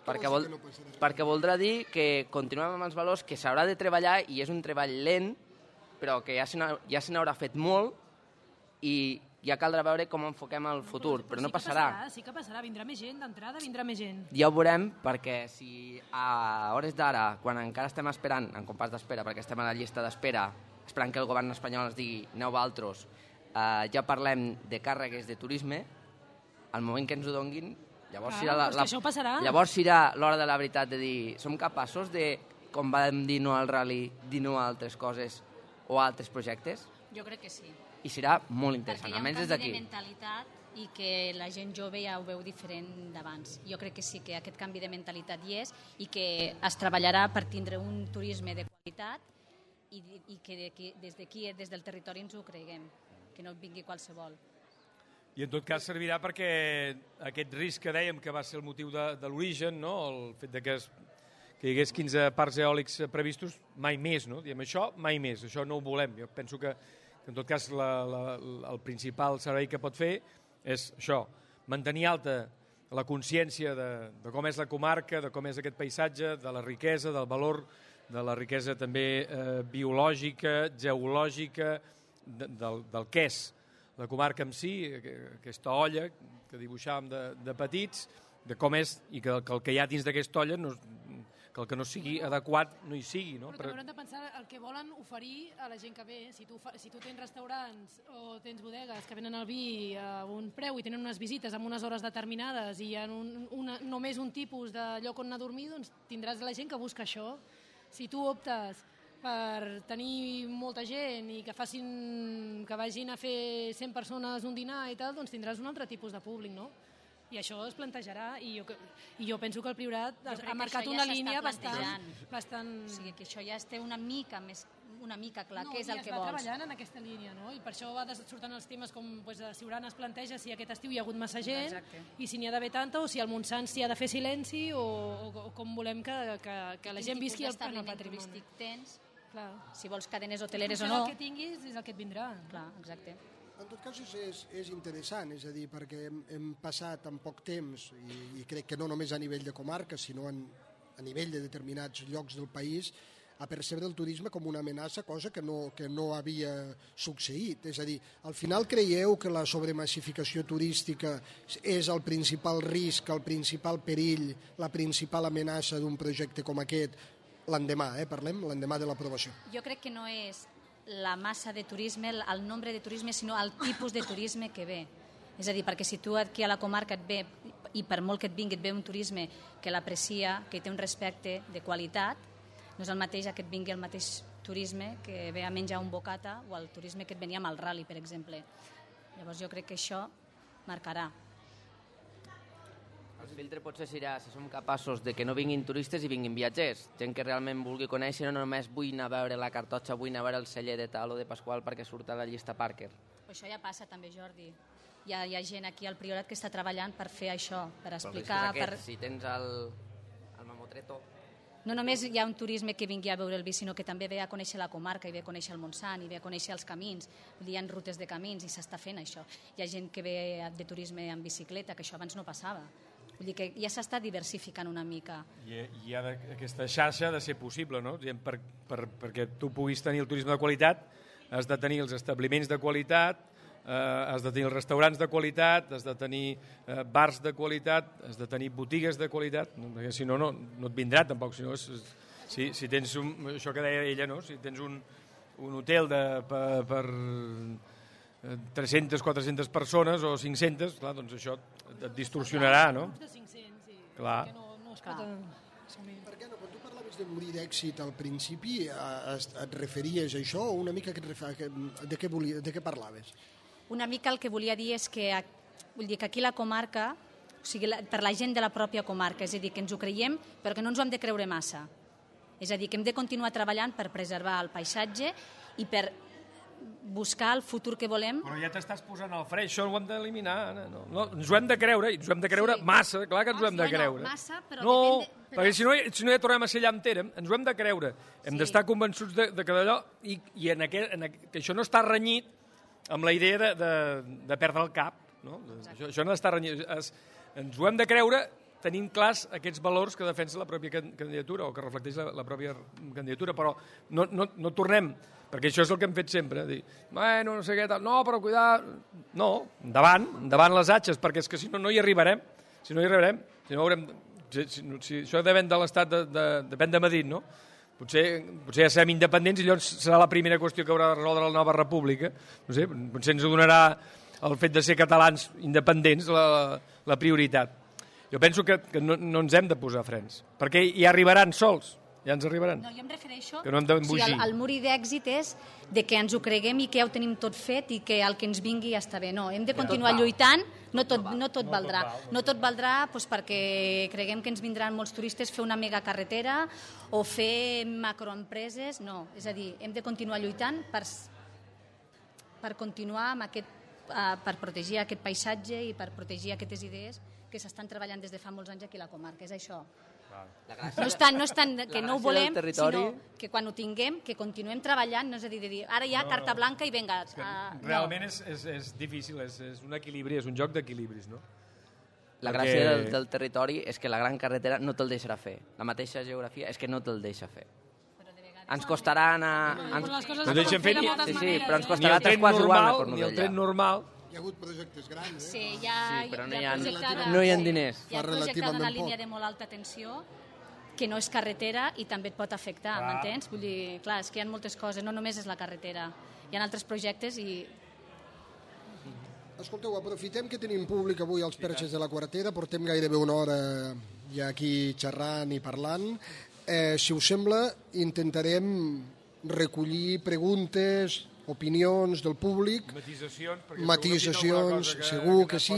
Perquè voldrà dir que continuem amb els valors, que s'haurà de treballar, i és un treball lent, però que ja se n'haurà fet molt, i ja caldrà veure com enfoquem el futur, però no passarà. Sí que passarà, vindrà més gent, d'entrada vindrà més gent. Ja ho veurem, perquè si a hores d'ara, quan encara estem esperant, en compàs d'espera, perquè estem a la llista d'espera, esperant que el govern espanyol ens digui aneu vosaltres, ja parlem de càrregues de turisme, al moment que ens ho donguin, llavors serà l'hora de la veritat de dir, som capaços de, com vam dir no al rally, dir no a altres coses o a altres projectes? Jo crec que sí. i serà molt interessant, Perquè hi ha un almenys des canvi d'aquí. de mentalitat i que la gent jove ja ho veu diferent d'abans. Jo crec que sí que aquest canvi de mentalitat hi és i que es treballarà per tindre un turisme de qualitat i que des d'aquí, des del territori, ens ho creguem, que no vingui qualsevol. I en tot cas servirà perquè aquest risc que dèiem que va ser el motiu de l'origen, no? El fet de que hi hagués 15 parcs eòlics previstos, mai més, no? Diem això, mai més, això no ho volem. Jo penso que en tot cas el principal servei que pot fer és això, mantenir alta la consciència de com és la comarca, de com és aquest paisatge, de la riquesa, del valor, de la riquesa també biològica, geològica, del que és la comarca en si, aquesta olla que dibuixàvem de petits, de com és, i que el que hi ha dins d'aquesta olla, que el que no sigui adequat no hi sigui. No? Però també haurem de pensar el que volen oferir a la gent que ve. Si tu tens restaurants o tens bodegues que venen el vi a un preu i tenen unes visites amb unes hores determinades i hi ha només un tipus de lloc on anar a dormir, doncs tindràs la gent que busca això. Si tu optes per tenir molta gent i que vagin a fer 100 persones un dinar i tal, doncs tindràs un altre tipus de públic, no? I això es plantejarà, i jo penso que el Priorat ha marcat una línia bastant... O sigui, que això ja es té una mica clar, què és el que vols. No, i es va treballant en aquesta línia, no? I per això surten els temes com a Siurana es planteja si aquest estiu hi ha hagut massa gent, i si n'hi ha d'haver tanta, o si al Montsant s'hi ha de fer silenci, o com volem que la gent visqui el patrimoni. Tens, clar. Si vols cadenes hoteleres o no. El que tinguis és el que et vindrà. Clar, exacte. En tot cas és interessant, és a dir, perquè hem passat en poc temps, i crec que no només a nivell de comarca, sinó a nivell de determinats llocs del país, a percebre el turisme com una amenaça, cosa que no havia succeït. És a dir, al final creieu que la sobremassificació turística és el principal risc, el principal perill, la principal amenaça d'un projecte com aquest l'endemà, l'endemà de l'aprovació? Jo crec que no és la massa de turisme, el nombre de turisme, sinó el tipus de turisme que ve. És a dir, perquè si tu aquí a la comarca et ve, i per molt que et vingui, et ve un turisme que l'aprecia, que té un respecte de qualitat, no és el mateix que et vingui el mateix turisme que ve a menjar un bocata o el turisme que et venia amb el rally, per exemple. Llavors jo crec que això marcarà. El filtre potser serà si som capaços de que no vinguin turistes i vinguin viatgers, gent que realment vulgui conèixer, no només vull anar a veure la Cartotxa, vull anar a veure el celler de tal o de Pasqual perquè surt a la llista Parker. Això ja passa també, Jordi. Hi ha gent aquí al Priorat que està treballant per fer això, per explicar... Si tens el Mamotreto... No només hi ha un turisme que vingui a veure el vi, sinó que també ve a conèixer la comarca, i ve a conèixer el Montsant, i ve a conèixer els camins. Hi ha rutes de camins i s'està fent això. Hi ha gent que ve de turisme en bicicleta, que això abans no passava. Vull dir que ja s'està diversificant una mica. I aquesta xarxa ha de ser possible, no? Perquè tu puguis tenir el turisme de qualitat, has de tenir els establiments de qualitat, has de tenir els restaurants de qualitat, has de tenir bars de qualitat, has de tenir botigues de qualitat, perquè si no, no et vindrà tampoc. Si tens això que deia ella, no? Si tens un hotel per 300, 400 persones o 500, clar, doncs això et distorsionarà, no? Grups de 500, sí. Clar. No es pot assumir. Per què no? Quan tu parlaves de morir d'èxit al principi, et referies a això o una mica de què parlaves? Una mica el que volia dir és que aquí la comarca, o sigui, per la gent de la pròpia comarca, és a dir, que ens ho creiem, però que no ens ho hem de creure massa. És a dir, que hem de continuar treballant per preservar el paisatge i per buscar el futur que volem. Però ja t'estàs posant al fre, això ho hem d'eliminar, Anna. No, ens ho hem de creure, i ens ho hem de creure massa, clar que ens ho hem de creure. Massa, però no, depèn perquè si no ja tornem a ser allà entera, ens ho hem de creure. Hem d'estar convençuts de que d'allò, i que això no està renyit amb la idea de perdre el cap. No? Això no està renyit. Ens ho hem de creure tenint clars aquests valors que defensa la pròpia candidatura o que reflecteix la pròpia candidatura, però no tornem, perquè això és el que hem fet sempre, dir, bueno, no sé què tal, no, però cuidar... No, endavant les atxes, perquè és que si no hi arribarem, si no haurem... Si això depèn de l'Estat, depèn de Madrid, no? Potser ja serem independents i llavors serà la primera qüestió que haurà de resoldre la nova república. No sé, potser ens donarà el fet de ser catalans independents la prioritat. Jo penso que no ens hem de posar frens, perquè hi arribaran sols. Ja ens arribaran. No, jo em refereixo... Que no hem d'embogir. el mur d'èxit és de que ens ho creguem i que ja ho tenim tot fet i que el que ens vingui ja està bé. No, hem de continuar lluitant, no tot valdrà. No tot valdrà doncs, perquè creguem que ens vindran molts turistes fer una megacarretera o fer macroempreses. No, és a dir, hem de continuar lluitant per continuar amb per protegir aquest paisatge i per protegir aquestes idees que s'estan treballant des de fa molts anys aquí a la comarca. És això. No és tant que no ho volem, sinó que quan ho tinguem, que continuem treballant, no és a dir, ara ja carta blanca i vinga. Realment és difícil, és un equilibri, és un joc d'equilibris, no? La gràcia del territori és que la gran carretera no te'l deixarà fer. La mateixa geografia és que no te'l deixa fer. Ens costarà anar... No deixem fer Sí, però ens costarà 3 quarts igual anar per ni el tren normal. Hi ha hagut projectes grans, Sí, però no hi ha diners. Hi ha projectada una línia de molt alta tensió que no és carretera i també et pot afectar, m'entens? Vull dir, clar, és que hi ha moltes coses, no només és la carretera. Hi ha altres projectes i... Escolteu, aprofitem que tenim públic avui als Perxes de la Quartera, portem gairebé una hora ja aquí xerrant i parlant. Si us sembla, intentarem recollir preguntes, opinions del públic, matisacions, segur que sí,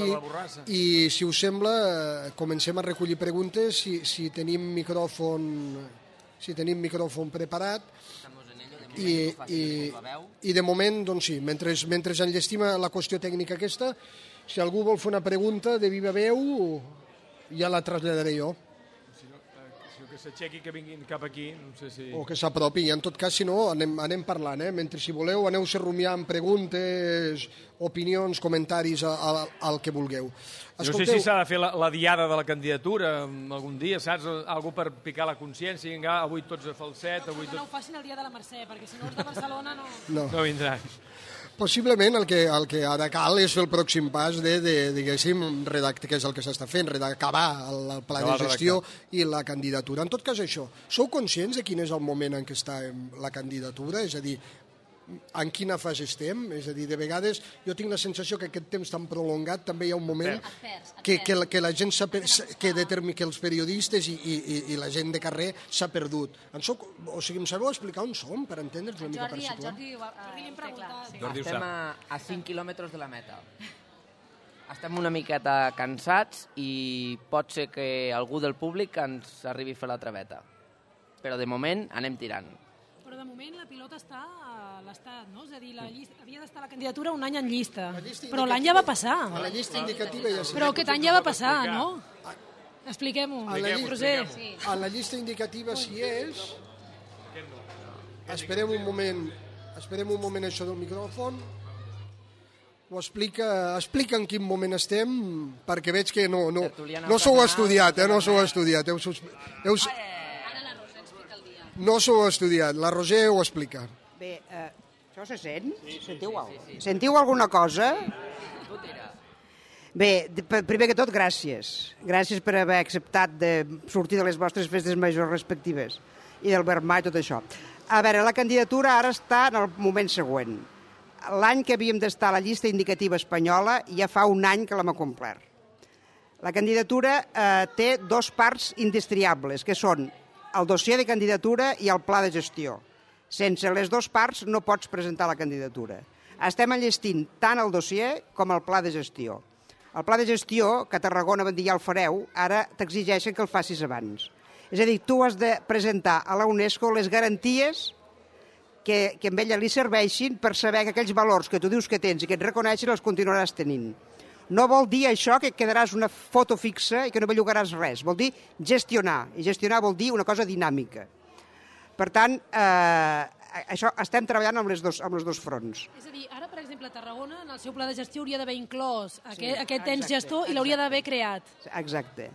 i si us sembla comencem a recollir preguntes si tenim micròfon preparat i de moment doncs sí, mentre enllestim la qüestió tècnica aquesta, si algú vol fer una pregunta de viva veu ja la traslladaré jo. Que s'aixequi, que vinguin cap aquí, no sé si... O que s'apropi, en tot cas, si no, anem parlant, mentre si voleu aneu-se rumiant preguntes, opinions, comentaris, al que vulgueu. No sé si s'ha de fer la diada de la candidatura algun dia, saps? Algú per picar la consciència, avui tots a falset... No ho facin el dia de la Mercè, perquè si no els de Barcelona no vindran. Possiblement el que ara cal és el pròxim pas diguéssim, redactar, que és el que s'està fent, acabar el pla de gestió i la candidatura. En tot cas, això, sou conscients de quin és el moment en què està la candidatura? És a dir, en quina fase estem? És a dir, de vegades jo tinc la sensació que aquest temps tan prolongat també hi ha un moment que la gent que els periodistes i la gent de carrer s'ha perdut. O sigui, em sabeu explicar on som per entendre'ns una mica per situar? Jordi estem a 5 quilòmetres de la meta. Estem una miqueta cansats i pot ser que algú del públic ens arribi a fer la traveta. Però de moment anem tirant. Però de moment la pilota està a l'Estat, no? És a dir, havia d'estar la candidatura un any en llista. Però l'any ja va passar. A la llista indicativa ja sí. Però aquest any ja va passar, no? Expliquem-ho. A la llista indicativa si és... Esperem un moment això del micròfon. Ho explica en quin moment estem, perquè veig que no s'ho heu estudiat, no s'ho heu estudiat. No s'ho heu estudiat, la Roser ho explica. Bé, això se sent? Sentiu alguna cosa? Bé, primer que tot, gràcies. Gràcies per haver acceptat de sortir de les vostres festes majors respectives i del Vermà i tot això. A veure, la candidatura ara està en el moment següent. L'any que havíem d'estar a la llista indicativa espanyola ja fa un any que l'hem complert. La candidatura té dues parts indestriables, que són el dossier de candidatura i el pla de gestió. Sense les dues parts no pots presentar la candidatura. Estem enllestint tant el dossier com el pla de gestió. El pla de gestió, que a Tarragona van dir ja el fareu, ara t'exigeixen que el facis abans. És a dir, tu has de presentar a la UNESCO les garanties que a ella li serveixin per saber que aquells valors que tu dius que tens i que et reconeixen els continuaràs tenint. No vol dir això que quedaràs una foto fixa i que no bellugaràs res. Vol dir gestionar. I gestionar vol dir una cosa dinàmica. Per tant, això estem treballant amb els dos fronts. És a dir, ara, per exemple, Tarragona, en el seu pla de gestió hauria d'haver inclòs aquest ens gestor i l'hauria d'haver creat. Exacte.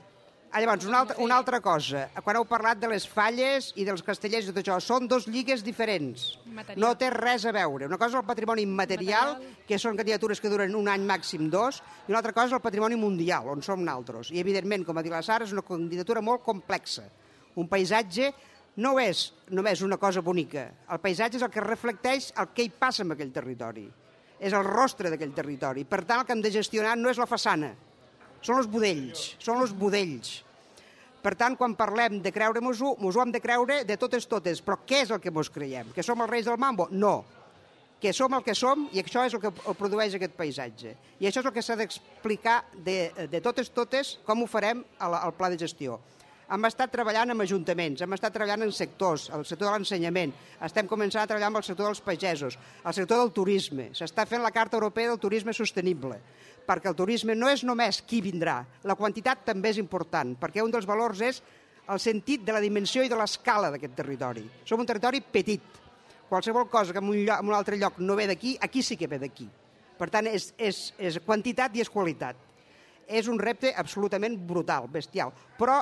Llavors, una altra cosa. Quan heu parlat de les falles i dels castellers i tot això, són dos lligues diferents. No té res a veure. Una cosa és el patrimoni immaterial, que són candidatures que duren un any, màxim 2, i una altra cosa és el patrimoni mundial, on som nosaltres. I, evidentment, com ha dit la Sara, és una candidatura molt complexa. Un paisatge no és només una cosa bonica. El paisatge és el que reflecteix el que hi passa en aquell territori. És el rostre d'aquell territori. Per tant, el que hem de gestionar no és la façana, són els budells. Per tant, quan parlem de creure mos ho hem de creure de totes. Però què és el que mos creiem? Que som els reis del mambo? No. Que som el que som i això és el que produeix aquest paisatge. I això és el que s'ha d'explicar de totes com ho farem al pla de gestió. Hem estat treballant amb ajuntaments, hem estat treballant en sectors, el sector de l'ensenyament, estem començant a treballar amb el sector dels pagesos, el sector del turisme, s'està fent la Carta Europea del Turisme Sostenible, perquè el turisme no és només qui vindrà, la quantitat també és important, perquè un dels valors és el sentit de la dimensió i de l'escala d'aquest territori. Som un territori petit, qualsevol cosa que en un altre lloc no ve d'aquí, aquí sí que ve d'aquí. Per tant, és quantitat i és qualitat. És un repte absolutament brutal, bestial. Però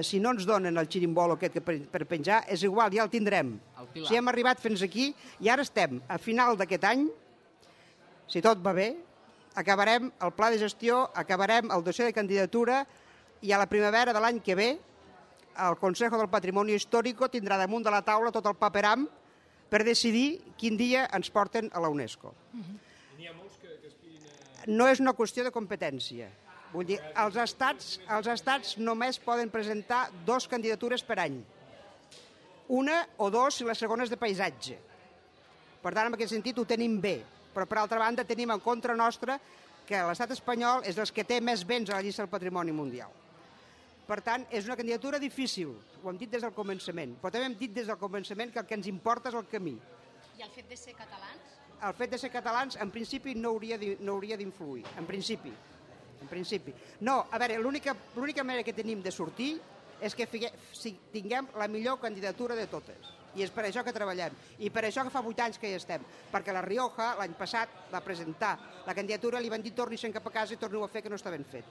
si no ens donen el xirimbolo aquest per penjar, és igual, ja el tindrem. Si hem arribat fins aquí, i ara estem a final d'aquest any, si tot va bé, acabarem el pla de gestió, acabarem el dossier de candidatura i a la primavera de l'any que ve el Consejo del Patrimoni Histórico tindrà damunt de la taula tot el paperam per decidir quin dia ens porten a la UNESCO. No és una qüestió de competència. Vull dir, els estats només poden presentar 2 candidatures per any. Una o 2 si la segona és de paisatge. Per tant, en aquest sentit ho tenim bé. Però, per altra banda, tenim en contra nostra que l'estat espanyol és dels que té més béns a la llista del patrimoni mundial. Per tant, és una candidatura difícil. Ho hem dit des del començament. Però també hem dit des del començament que el que ens importa és el camí. I el fet de ser catalans? El fet de ser catalans, en principi, no hauria d'influir. En principi. No, a veure, l'única manera que tenim de sortir és que tinguem la millor candidatura de totes. I és per això que treballem. I per això que fa 8 anys que hi estem. Perquè la Rioja, l'any passat, va presentar la candidatura, li van dir torni-se'n cap a casa i torni-ho a fer, que no està ben fet.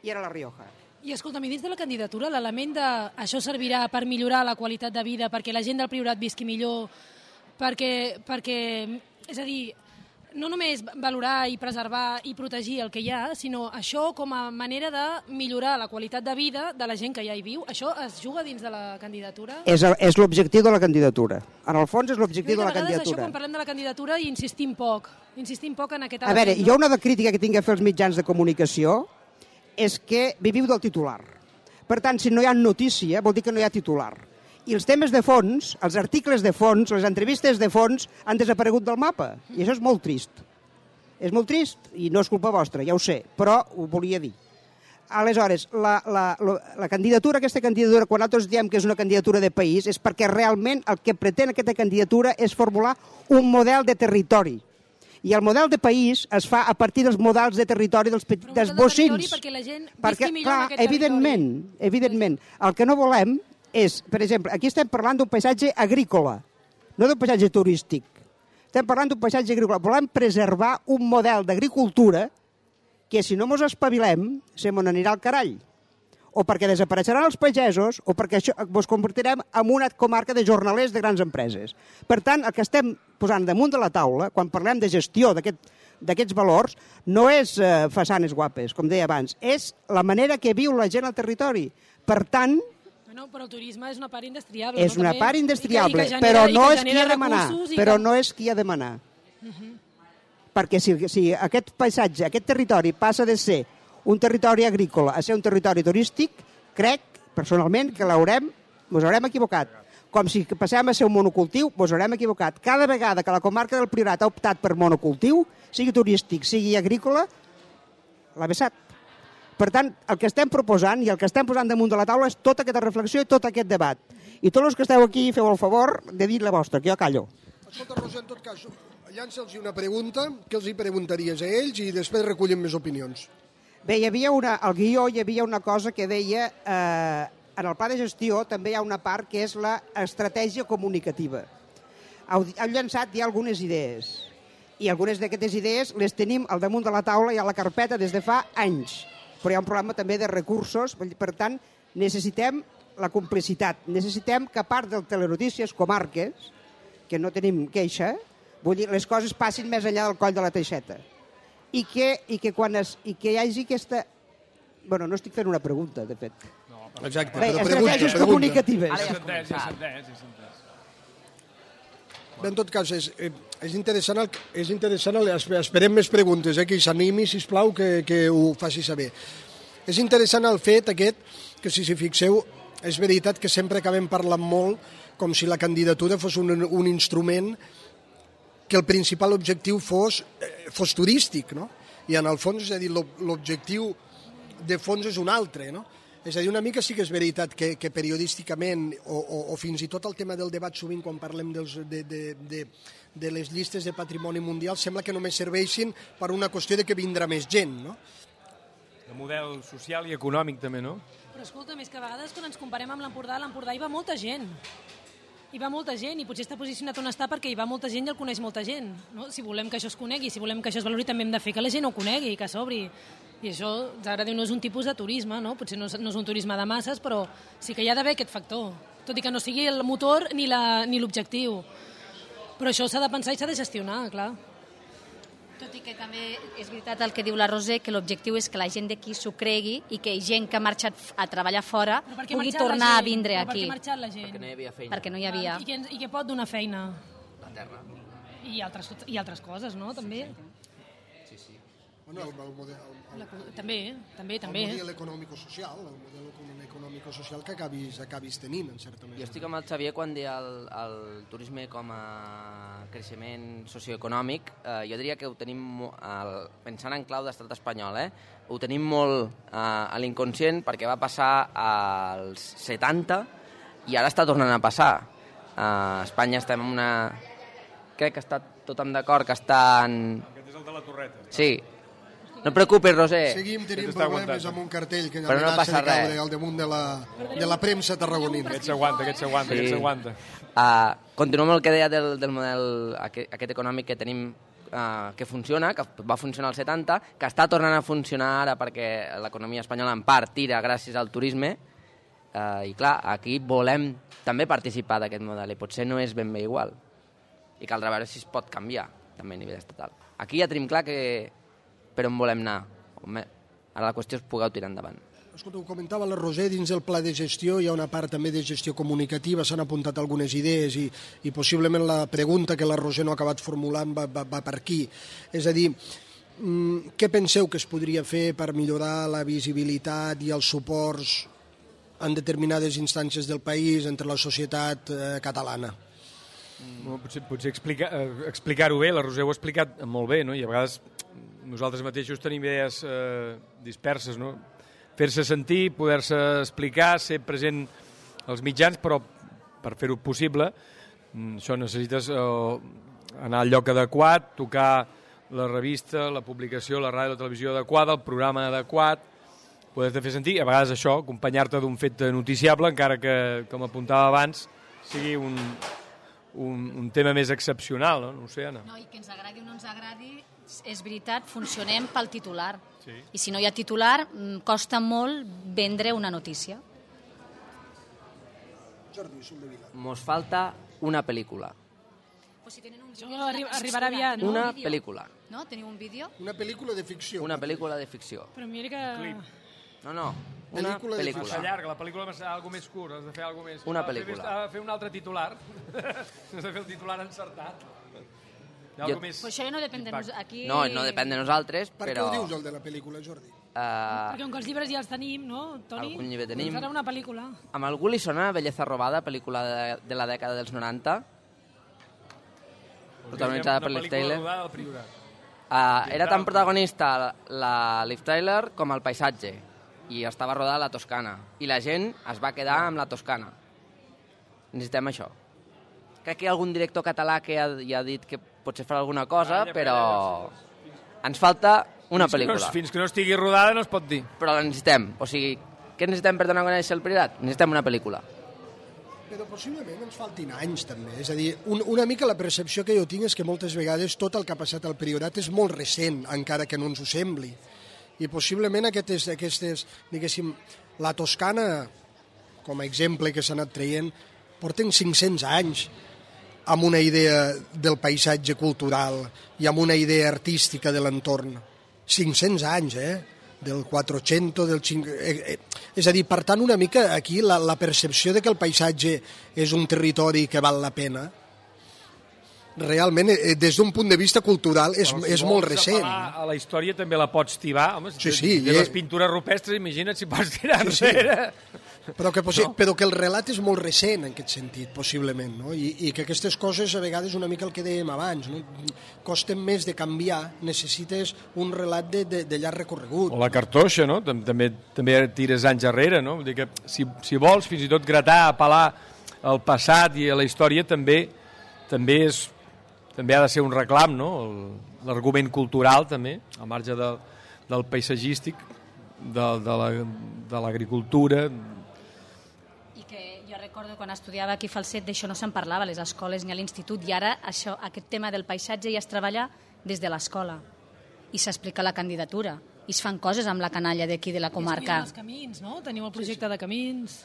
I era la Rioja. I escolta'm, i dins de la candidatura, l'element de això servirà per millorar la qualitat de vida, perquè la gent del Priorat visqui millor, perquè és a dir, no només valorar i preservar i protegir el que hi ha, sinó això com a manera de millorar la qualitat de vida de la gent que ja hi viu. Això es juga dins de la candidatura? És l'objectiu de la candidatura. En el fons és l'objectiu de la candidatura. Això, quan parlem de la candidatura, insistim poc en aquest element. A veure, jo una crítica que tinc a fer als mitjans de comunicació és que viviu del titular. Per tant, si no hi ha notícia, vol dir que no hi ha titular. I els temes de fons, els articles de fons, les entrevistes de fons han desaparegut del mapa. I això és molt trist. És molt trist i no és culpa vostra, ja ho sé, però ho volia dir. Aleshores, la candidatura, aquesta candidatura, quan nosaltres diem que és una candidatura de país, és perquè realment el que pretén aquesta candidatura és formular un model de territori. I el model de país es fa a partir dels models de territori dels bocins. Perquè la gent visqui millor en aquest evidentment. El que no volem és, per exemple, aquí estem parlant d'un paisatge agrícola, no d'un paisatge turístic. Estem parlant d'un paisatge agrícola. Volem preservar un model d'agricultura que, si no mos espavilem, se mos anirà al carall. O perquè desapareixeran els pagesos, o perquè ens convertirem en una comarca de jornalers de grans empreses. Per tant, el que estem posant damunt de la taula, quan parlem de gestió d'aquests valors, no és façanes guapes, com deia abans, és la manera que viu la gent al territori. Per tant, però el turisme és una part indestriable. És una part indestriable, però no és qui ha de manar. Però no és qui ha de manar. Perquè si aquest paisatge, aquest territori passa de ser un territori agrícola a ser un territori turístic, crec, personalment, que ens haurem equivocat. Com si passem a ser un monocultiu, ens haurem equivocat. Cada vegada que la comarca del Priorat ha optat per monocultiu, sigui turístic, sigui agrícola, l'ha vessat. Per tant, el que estem proposant i el que estem posant damunt de la taula és tota aquesta reflexió i tot aquest debat. I tots els que esteu aquí feu el favor de dir la vostra, que jo callo. Escolta, Rosa, en tot cas, llança'ls una pregunta, que els hi preguntaries a ells i després recullim més opinions. Bé, al guió hi havia una cosa que deia, en el pla de gestió també hi ha una part que és l'estratègia comunicativa. Heu llançat ja algunes idees, i algunes d'aquestes idees les tenim al damunt de la taula i a la carpeta des de fa anys. Però hi ha un problema també de recursos, per tant, necessitem la complicitat. Necessitem que a part del Telenotícies Comarques, que no tenim queixa, vull dir, les coses passin més enllà del coll de la teixeta. I que hi hagi aquesta... Bueno, no estic fent una pregunta, de fet. No, exacte. Bé, estratègies comunicatives. Ja s'ha entès. Bé, en tot cas, és interessant, esperem més preguntes, que s'animi, sisplau, que ho faci saber. És interessant el fet aquest, que si fixeu, és veritat que sempre acabem parlant molt com si la candidatura fos un instrument que el principal objectiu fos turístic, no? I en el fons, és a dir, l'objectiu de fons és un altre, no? És a dir, una mica sí que és veritat que periodísticament, o fins i tot el tema del debat sovint quan parlem de les llistes de patrimoni mundial, sembla que només serveixin per una qüestió de que vindrà més gent, no? De model social i econòmic també, no? Però escolta, més que a vegades quan ens comparem amb l'Empordà hi va molta gent. Hi va molta gent i potser està posicionat on està perquè hi va molta gent i el coneix molta gent. No? Si volem que això es conegui, si volem que això es valori, també hem de fer que la gent ho conegui, que s'obri. I això, ara diu, no és un tipus de turisme, no? Potser no és un turisme de masses, però sí que hi ha d'haver aquest factor. Tot i que no sigui el motor ni l'objectiu. Però això s'ha de pensar i s'ha de gestionar, clar. Tot i que també és veritat el que diu la Roser, que l'objectiu és que la gent d'aquí s'ho cregui i que gent que ha marxat a treballar fora pugui tornar a vindre aquí. Per què ha marxat la gent? Perquè no hi havia feina. Perquè no hi havia. I què pot donar feina? La terra. I altres coses, no? També. Bueno, el model... També. El model econòmico-social, que acabis tenint, en certa manera. Jo estic amb el Xavier quan deia el turisme com a creixement socioeconòmic. Jo diria que ho tenim, pensant en clau d'estat espanyol, ho tenim molt a l'inconscient perquè va passar als 70 i ara està tornant a passar. A Espanya estem en una... Crec que està tothom d'acord que estan... Aquest és el de la Torreta. Sí. No et preocupis, Roser. Seguim tenint problemes amb un cartell que però no passa res. Caure al damunt de la premsa tarragonina. Aquest s'aguanta. Continuo amb el que deia del model aquest econòmic que tenim que funciona, que va funcionar als 70, que està tornant a funcionar ara perquè l'economia espanyola en part tira gràcies al turisme i clar, aquí volem també participar d'aquest model i potser no és ben bé igual i caldrà veure si es pot canviar també a nivell estatal. Aquí ja tenim clar que per on volem anar. Ara la qüestió és poder tirar endavant. Escolta, ho comentava la Roser, dins del pla de gestió hi ha una part també de gestió comunicativa, s'han apuntat algunes idees i possiblement la pregunta que la Roser no ha acabat formulant va per aquí. És a dir, què penseu que es podria fer per millorar la visibilitat i els suports en determinades instàncies del país entre la societat catalana? Potser explicar-ho bé, la Roser ho ha explicat molt bé, no? I a vegades nosaltres mateixos tenim idees disperses, no? Fer-se sentir, poder-se explicar, ser present als mitjans, però per fer-ho possible això necessites anar al lloc adequat, tocar la revista, la publicació, la ràdio, la televisió adequada, el programa adequat, poder-te fer sentir, a vegades això, acompanyar-te d'un fet noticiable, encara que, com apuntava abans, sigui un tema més excepcional, no? No ho sé, Anna. No, i que ens agradi o no ens agradi, és veritat, funcionem pel titular. Sí. I si no hi ha titular, costa molt vendre una notícia. Jordi, Soldevila. Mos falta una pel·lícula. O si tenen un Això vídeo, arribarà aviat. Una pel·lícula. No? Teniu un vídeo? Una pel·lícula de ficció. Una pel·lícula de ficció. Però mira que... No, una Pel·lícula de Massa pel·lícula. llarga, la pel·lícula és algo més curt, has de fer algo més... Una pel·lícula. Has de fer un altre titular. Has de fer el titular encertat. Pues això ja no depèn de nosaltres. Aquí... No depèn de nosaltres, Per què però... ho dius, el de la pel·lícula, Jordi? Perquè com que els llibres ja els tenim, no, Toni? Algun llibre tenim. Doncs ara una pel·lícula. Amb algú li sona Belleza robada, pel·lícula de la dècada dels 90? Protagonitzada per Liv Tyler. Una pel·lícula rodada al Priorat. Era tan protagonista la Liv Tyler com el paisatge i estava rodada a la Toscana i la gent es va quedar amb la Toscana. Necessitem això. Crec que hi ha algun director català que ja ha dit que potser farà alguna cosa, però ens falta una pel·lícula. Fins que no estigui rodada no es pot dir. Però la necessitem. O sigui, què necessitem per donar a conèixer el Priorat? Necessitem una pel·lícula. Però possiblement ens faltin anys, també. És a dir, una mica la percepció que jo tinc és que moltes vegades tot el que ha passat al Priorat és molt recent, encara que no ens ho sembli. I possiblement aquestes diguéssim, la Toscana, com a exemple que s'ha anat traient, porten 500 anys amb una idea del paisatge cultural i amb una idea artística de l'entorn. 500 anys, del 400, del 5... És a dir, per tant, una mica aquí la percepció de que el paisatge és un territori que val la pena, realment, des d'un punt de vista cultural, és molt recent. Si vols a la història també la pots tibar. Home, sí. De les pintures rupestres, imagina't si pots tirar enrere. Però que el relat és molt recent en aquest sentit, possiblement, no? I que aquestes coses, a vegades, una mica el que dèiem abans, no? Costen més de canviar, necessites un relat de llarg recorregut. O la cartoixa, no? També tires anys enrere, no? Vull dir que si vols fins i tot gratar, apel·lar al passat i a la història, també ha de ser un reclam, no? L'argument cultural, també, al marge del paisatgístic, de l'agricultura. I que jo recordo quan estudiava aquí a Falset d'això no se'n parlava a les escoles ni a l'institut, i ara aquest tema del paisatge ja es treballa des de l'escola i s'explica la candidatura i es fan coses amb la canalla d'aquí de la comarca. I es camins, no? Teniu el projecte de camins,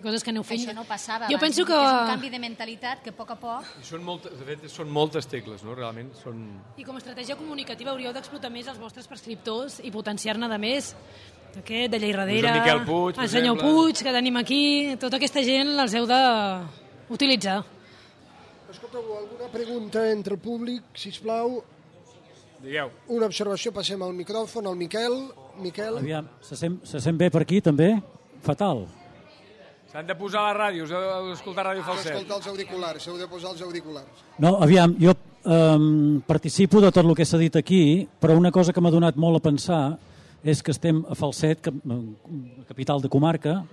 coses que aneu fent. Això no passava jo abans, penso que és un canvi de mentalitat que a poc a poc... De fet, són moltes tecles, no? Realment són... I com a estratègia comunicativa hauríeu d'explotar més els vostres prescriptors i potenciar-ne de més. Aquest, de Lleiradera, Miquel Puig, el senyor Puig, que tenim aquí, tota aquesta gent els heu d'utilitzar. Escolteu, alguna pregunta entre el públic, sisplau? Digueu. Una observació, passem al micròfon, al Miquel. Aviam, se sent bé per aquí, també? Fatal. S'han de posar a la ràdio, us heu d'escoltar Ràdio Falset. Escoltar els auriculars, heu de posar els auriculars. No, aviam, jo participo de tot el que s'ha dit aquí, però una cosa que m'ha donat molt a pensar és que estem a Falset, capital de comarca.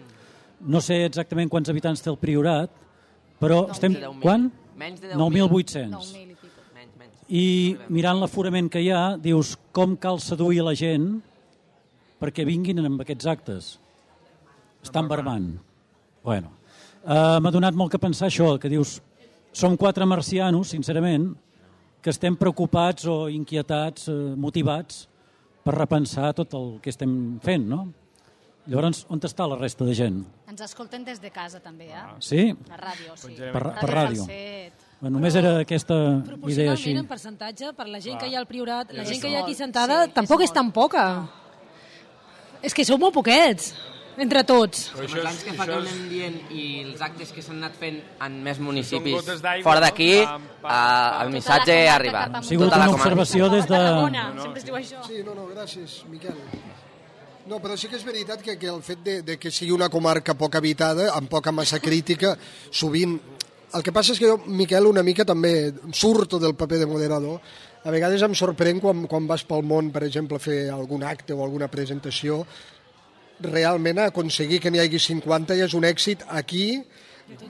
No sé exactament quants habitants té el Priorat, però estem... Quan? Menys de 10.000. 9.800. I mirant l'aforament que hi ha, dius com cal seduir la gent perquè vinguin amb aquests actes. Estan barbant. Bueno, m'ha donat molt que pensar això, que dius, som 4 marcianos, sincerament, que estem preocupats o inquietats, motivats per repensar tot el que estem fent, no? Llavors, on està la resta de gent? Ens escolten des de casa, també, eh? Sí? La ràdio, sí. Per ràdio. Bueno, només era aquesta idea així. Proporcionalment, en percentatge, per la gent que hi ha al Priorat, la gent que hi ha aquí sentada, tampoc és tan poca. És que sou molt poquets. Entre tots. Els anys que fa que anem dient i els actes que s'han anat fent en més municipis fora d'aquí, el missatge ha arribat. Ha sigut una observació des de... Sempre es diu això. Sí, gràcies, Miquel. No, però sí que és veritat que el fet de que sigui una comarca poc habitada, amb poca massa crítica, sovint... El que passa és que jo, Miquel, una mica també surto del paper de moderador. A vegades em sorprèn quan vas pel món, per exemple, a fer algun acte o alguna presentació, realment aconseguir que n'hi hagi 50 ja és un èxit aquí,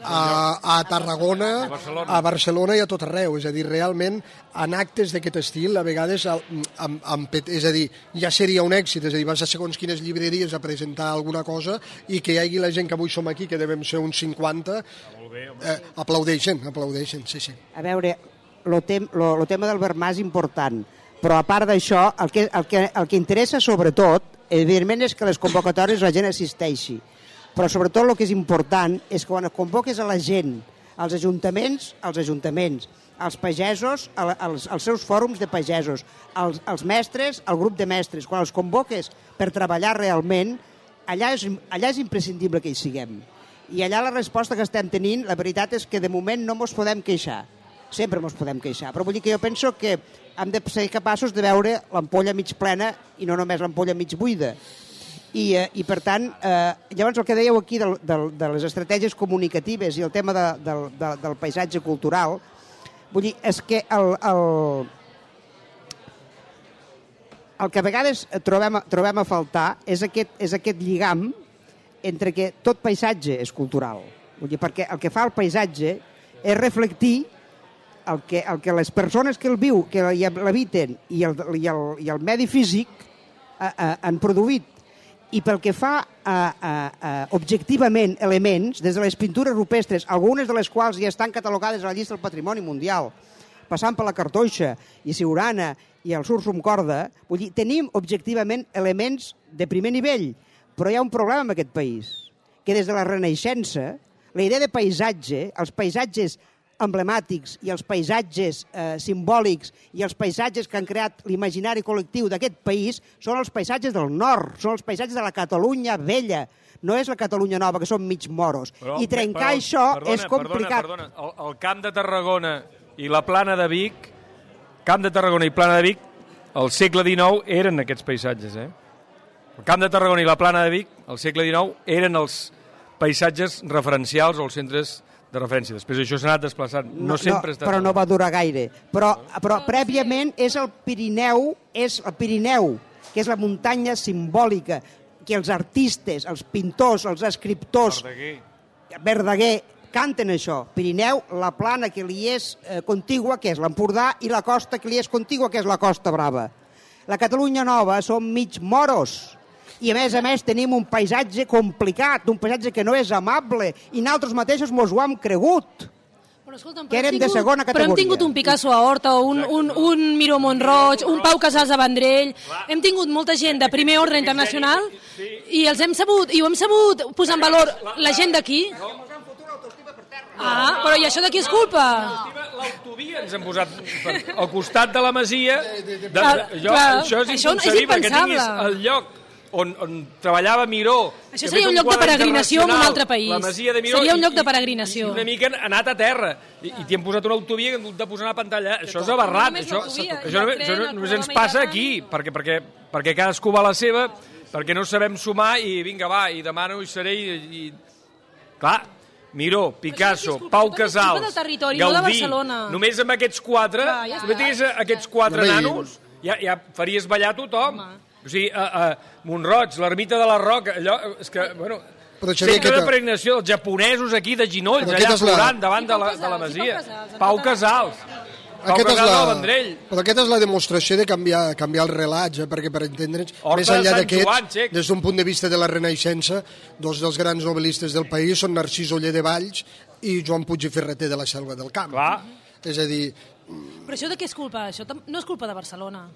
a Tarragona, a Barcelona i a tot arreu. És a dir, realment, en actes d'aquest estil, a vegades, és a dir, ja seria un èxit. És a dir, vas a segons quines llibreries a presentar alguna cosa i que hi hagi la gent que avui som aquí, que devem ser uns 50, aplaudeixen, sí. A veure, el tema del Vermà és important, però a part d'això, el que interessa sobretot, evidentment, és que les convocatòries la gent assisteixi, però sobretot el que és important és que quan convoques a la gent, als ajuntaments, als pagesos, als seus fòrums de pagesos, als mestres, al grup de mestres, quan els convoques per treballar realment, allà és imprescindible que hi siguem. I allà la resposta que estem tenint, la veritat és que de moment no ens podem queixar. Sempre ens podem queixar, però vull dir que jo penso que hem de ser capaços de veure l'ampolla mig plena i no només l'ampolla mig buida. I per tant, llavors el que dèieu aquí de les estratègies comunicatives i el tema del paisatge cultural, vull dir, és que el que a vegades trobem a faltar és aquest lligam entre que tot paisatge és cultural. Vull dir, perquè el que fa el paisatge és reflectir el que les persones que el viu, que l'habiten i el medi físic han produït. I pel que fa objectivament elements, des de les pintures rupestres, algunes de les quals ja estan catalogades a la llista del Patrimoni Mundial, passant per la cartoixa i Siurana i el Sursum Corda, vull dir, tenim objectivament elements de primer nivell, però hi ha un problema en aquest país, que des de la Renaixença, la idea de paisatge, els paisatges emblemàtics i els paisatges simbòlics i els paisatges que han creat l'imaginari col·lectiu d'aquest país són els paisatges del nord, són els paisatges de la Catalunya vella, no és la Catalunya nova, que són mig moros. I trencar això és complicat. Perdona. El Camp de Tarragona i la Plana de Vic, Camp de Tarragona i Plana de Vic, al segle XIX eren aquests paisatges. El Camp de Tarragona i la Plana de Vic, al segle XIX, eren els paisatges referencials o els centres de referència. Després això s'ha anat desplaçant. No sempre està... Però no va durar gaire. Però prèviament és el Pirineu, que és la muntanya simbòlica que els artistes, els pintors, els escriptors... Verdaguer canten això. Pirineu, la plana que li és contigua, que és l'Empordà, i la costa que li és contigua, que és la Costa Brava. La Catalunya Nova som mig moros, i a més tenim un paisatge complicat, un paisatge que no és amable, i nosaltres mateixos mos ho hem cregut. Que érem de segona categoria. Però hem tingut un Picasso a Horta, un Miró Montroig, un Pau Casals a Vendrell, hem tingut molta gent de primer ordre internacional i els hem sabut posar en valor la gent d'aquí. Ah, però i això de qui és culpa? L'autovia ens hem posat al costat de la masia. Això és inconcebile, que tinguis el lloc on treballava Miró. Això seria un lloc de peregrinació en un altre país. Seria un lloc de peregrinació. I una mica anat a terra. I t'hi han posat una autovia que han hagut de posar una pantalla. Això és aberrat. Això només ens passa aquí, perquè cadascú va a la seva, perquè no sabem sumar i vinga, va, i demà no hi seré i... Clar, Miró, Picasso, Pau Casals, Gaudí, només amb aquests quatre, només tingués aquests quatre nanos, ja faries ballar tothom. O sigui, Montroig, l'ermita de la Roca, allò, és que, bueno, centre de peregrinació, els japonesos aquí de ginolls, allà plorant davant de la masia. Pau Casals. Pau Casals del Vendrell. Però aquesta és la demostració de canviar el relat, perquè per entendre'ns, més enllà d'aquests, des d'un punt de vista de la Renaixença, dos dels grans novel·listes del país són Narcís Oller de Valls i Joan Puig i Ferreter de la Selva del Camp. Clar. És a dir... Però això de què és culpa? Això no és culpa de Barcelona.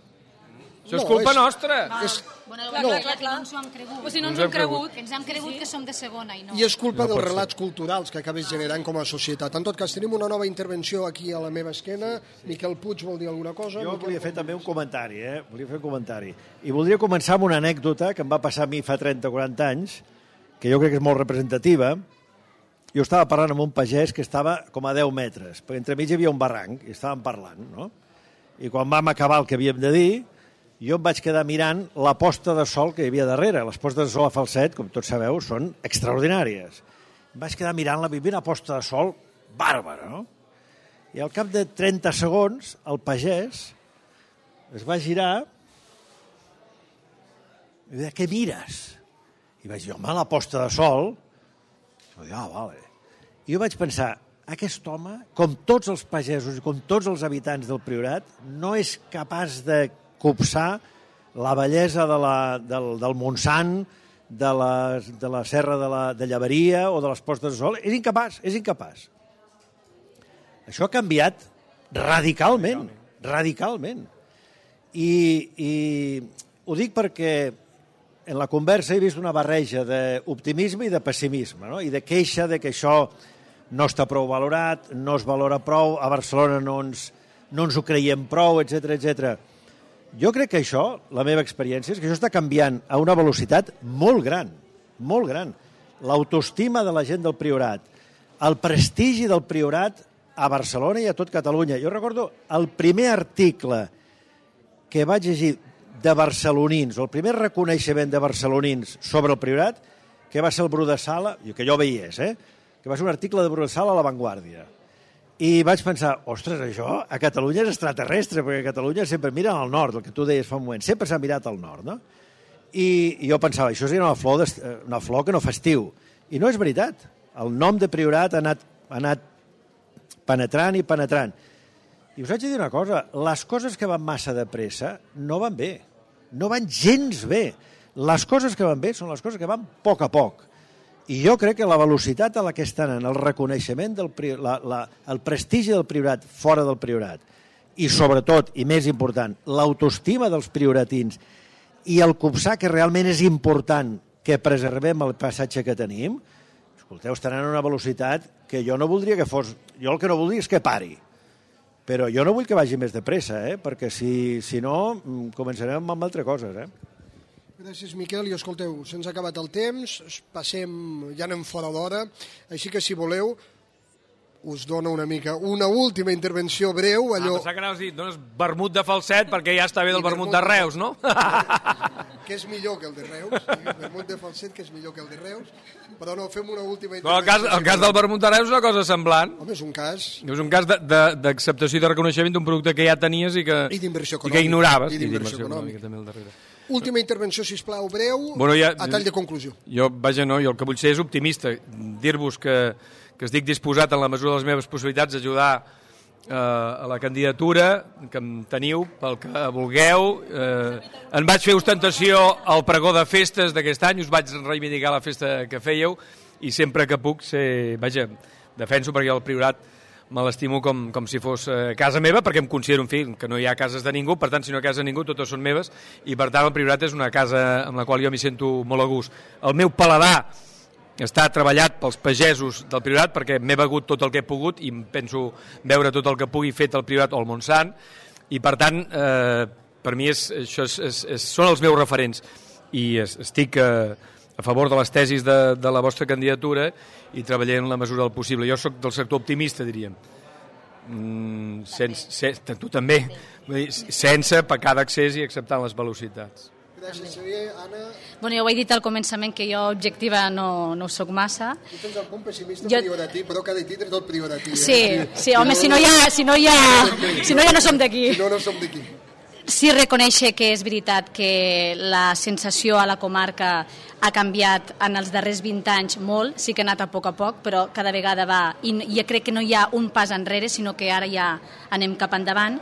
Això és culpa nostra. Clar, no ens ho hem cregut. O sigui, no ens ho hem cregut. Ens hem cregut que som de segona i no. I és culpa dels relats culturals que acabes generant com a societat. En tot cas, tenim una nova intervenció aquí a la meva esquena. Miquel Puig vol dir alguna cosa? Jo volia fer també un comentari, Volia fer un comentari. I voldria començar amb una anècdota que em va passar a mi fa 30 o 40 anys, que jo crec que és molt representativa. Jo estava parlant amb un pagès que estava com a 10 metres, perquè entremig hi havia un barranc, i estàvem parlant, no? I quan vam acabar el que havíem de dir, jo em vaig quedar mirant la posta de sol que hi havia darrere. Les postes de sol a Falset, com tots sabeu, són extraordinàries. Em vaig quedar mirant-la, hi havia una posta de sol bàrbara, no? I al cap de 30 segons, el pagès es va girar i va dir, què mires? I vaig dir, home, la posta de sol. I vaig dir, vale. I jo vaig pensar, aquest home, com tots els pagesos i com tots els habitants del Priorat, no és capaç de copsar la bellesa del Montsant, de la serra de Llaveria o de les postes de sol. És incapaç, és incapaç. Això ha canviat radicalment, radicalment. I ho dic perquè en la conversa he vist una barreja d'optimisme i de pessimisme, no? I de queixa de que això no està prou valorat, no es valora prou, a Barcelona no ens ho creiem prou, etc etc. Jo crec que això, la meva experiència, és que això està canviant a una velocitat molt gran, molt gran. L'autoestima de la gent del Priorat, el prestigi del Priorat a Barcelona i a tot Catalunya. Jo recordo el primer article que vaig llegir de barcelonins, o el primer reconeixement de barcelonins sobre el Priorat, que va ser el Bru de Sala, que jo veiés, que va ser un article de Bru de Sala a La Vanguardia. I vaig pensar, ostres, això a Catalunya és extraterrestre, perquè a Catalunya sempre miren al nord, el que tu deies fa un moment, sempre s'ha mirat al nord, no? I jo pensava, això seria una flor que no fa estiu. I no és veritat. El nom de Priorat ha anat penetrant i penetrant. I us haig de dir una cosa, les coses que van massa de pressa no van bé, no van gens bé. Les coses que van bé són les coses que van a poc. I jo crec que la velocitat a la que estan en el reconeixement, el prestigi del Priorat fora del Priorat, i sobretot, i més important, l'autoestima dels prioratins i el copsar que realment és important que preservem el passatge que tenim, escolteu, estaran a una velocitat que jo no voldria que fos... Jo el que no voldria és que pari. Però jo no vull que vagi més de pressa, perquè si no començarem amb altres coses, Gràcies, Miquel. I escolteu, se'ns ha acabat el temps, passem, ja anem fora d'hora, així que si voleu, us dono una última intervenció breu. Pensava que anaves a dir, dones vermut de Falset perquè ja està bé del vermut de Reus, no? Que és millor que el de Reus, vermut de Falset que és millor que el de Reus, però no, fem una última intervenció. Però el cas del vermut de Reus és una cosa semblant. Home, és un cas. És un cas d'acceptació i de reconeixement d'un producte que ja tenies i que ignoraves. I d'inversió econòmica també al darrere. Última intervenció, sisplau, breu, a tall de conclusió. Jo el que vull ser és optimista, dir-vos que estic disposat en la mesura de les meves possibilitats d'ajudar a la candidatura que em teniu pel que vulgueu. En vaig fer ostentació al pregó de festes d'aquest any, us vaig reivindicar la festa que fèieu i sempre que puc defenso perquè el Priorat me l'estimo com si fos casa meva, perquè em considero, en fi, que no hi ha cases de ningú, per tant, si no hi ha casa de ningú, totes són meves, i per tant el Priorat és una casa amb la qual jo m'hi sento molt a gust. El meu paladar està treballat pels pagesos del Priorat perquè m'he begut tot el que he pogut i penso veure tot el que pugui fet el Priorat o el Montsant, i per tant, per mi són els meus referents, i estic a favor de les tesis de la vostra candidatura i treballaré en la mesura del possible. Jo sóc del sector optimista, diríem. Tu també. Sense pecar d'accés i acceptant les velocitats. Gràcies, Xavier. Anna? Bueno, jo ho he dit al començament que jo objectiva no soc massa. Tu tens el punt pessimista prioratí, però cada tindre tot prioratí. Sí, home, si no ja no som d'aquí. Si no, no som d'aquí. Sí, reconèixer que és veritat que la sensació a la comarca ha canviat en els darrers 20 anys molt, sí que ha anat a poc, però cada vegada va, i jo crec que no hi ha un pas enrere, sinó que ara ja anem cap endavant.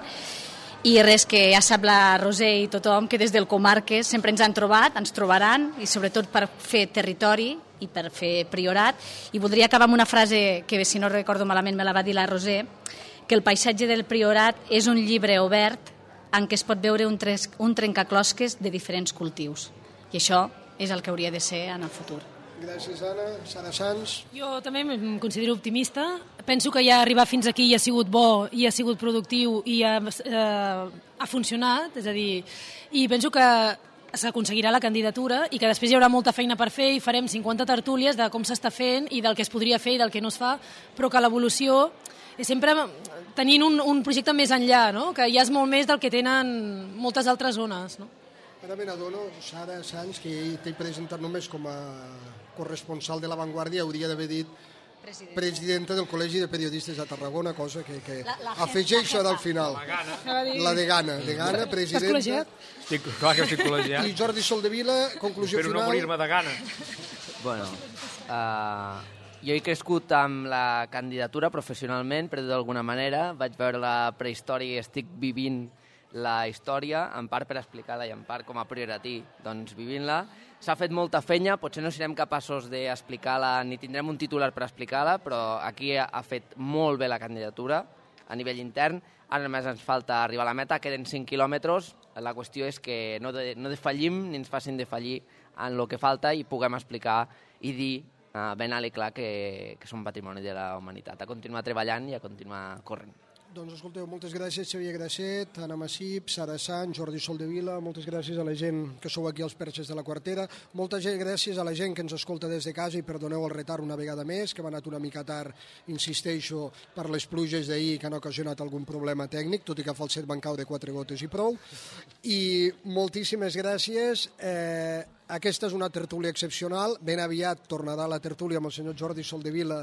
I res, que ja sap la Roser i tothom que des del Comarques sempre ens han trobat, ens trobaran, i sobretot per fer territori i per fer Priorat. I voldria acabar amb una frase que, si no recordo malament, me la va dir la Roser, que el paisatge del Priorat és un llibre obert en què es pot veure un trencaclosques de diferents cultius. I això és el que hauria de ser en el futur. Gràcies, Anna. Sara Sans. Jo també em considero optimista. Penso que ja arribar fins aquí ja ha sigut bo, i ha sigut productiu i ha funcionat, és a dir, i penso que s'aconseguirà la candidatura i que després hi haurà molta feina per fer i farem 50 tertúlies de com s'està fent i del que es podria fer i del que no es fa, però que l'evolució és sempre tenint un projecte més enllà, no? Que ja és molt més del que tenen moltes altres zones. No? Ara me n'adono, Sara Sans, que t'he presentat només com a corresponsal de La Vanguardia, hauria d'haver dit presidenta del Col·legi de Periodistes de Tarragona, cosa que afegeixo al final. La degana, presidenta. Clar que estic col·legiat. I Jordi Soldevila, conclusió final. Espero no morir-me de gana. Bueno, jo he crescut amb la candidatura professionalment, per dir d'alguna manera. Vaig veure la prehistòria i estic vivint la història, en part per explicar-la i en part com a prioratí, doncs vivint-la. S'ha fet molta feina, potser no serem capaços d'explicar-la ni tindrem un titular per explicar-la, però aquí ha fet molt bé la candidatura a nivell intern. Ara només ens falta arribar a la meta, queden 5 quilòmetres. La qüestió és que no defallim ni ens facin defallir en el que falta i puguem explicar i dir ben alt i clar que som patrimoni de la humanitat. A continuar treballant i a continuar corrent. Doncs escolteu, moltes gràcies Xavier Grasset, Anna Massip, Sara Sant, Jordi Soldevila, moltes gràcies a la gent que sou aquí als Perxes de la Quartera, moltes gràcies a la gent que ens escolta des de casa i perdoneu el retard una vegada més, que hem anat una mica tard, insisteixo, per les pluges d'ahir que han ocasionat algun problema tècnic, tot i que a Falset van caure 4 gotes i prou, i moltíssimes gràcies. Aquesta és una tertúlia excepcional, ben aviat tornarà la tertúlia amb el senyor Jordi Soldevila,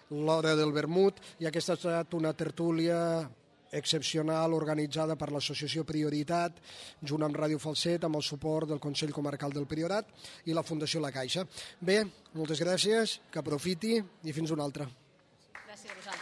l'hora del vermut, i aquesta ha estat una tertúlia excepcional organitzada per l'associació Prioritat, junt amb Ràdio Falset, amb el suport del Consell Comarcal del Priorat i la Fundació La Caixa. Bé, moltes gràcies, que aprofiti i fins una altra. Gràcies a vosaltres.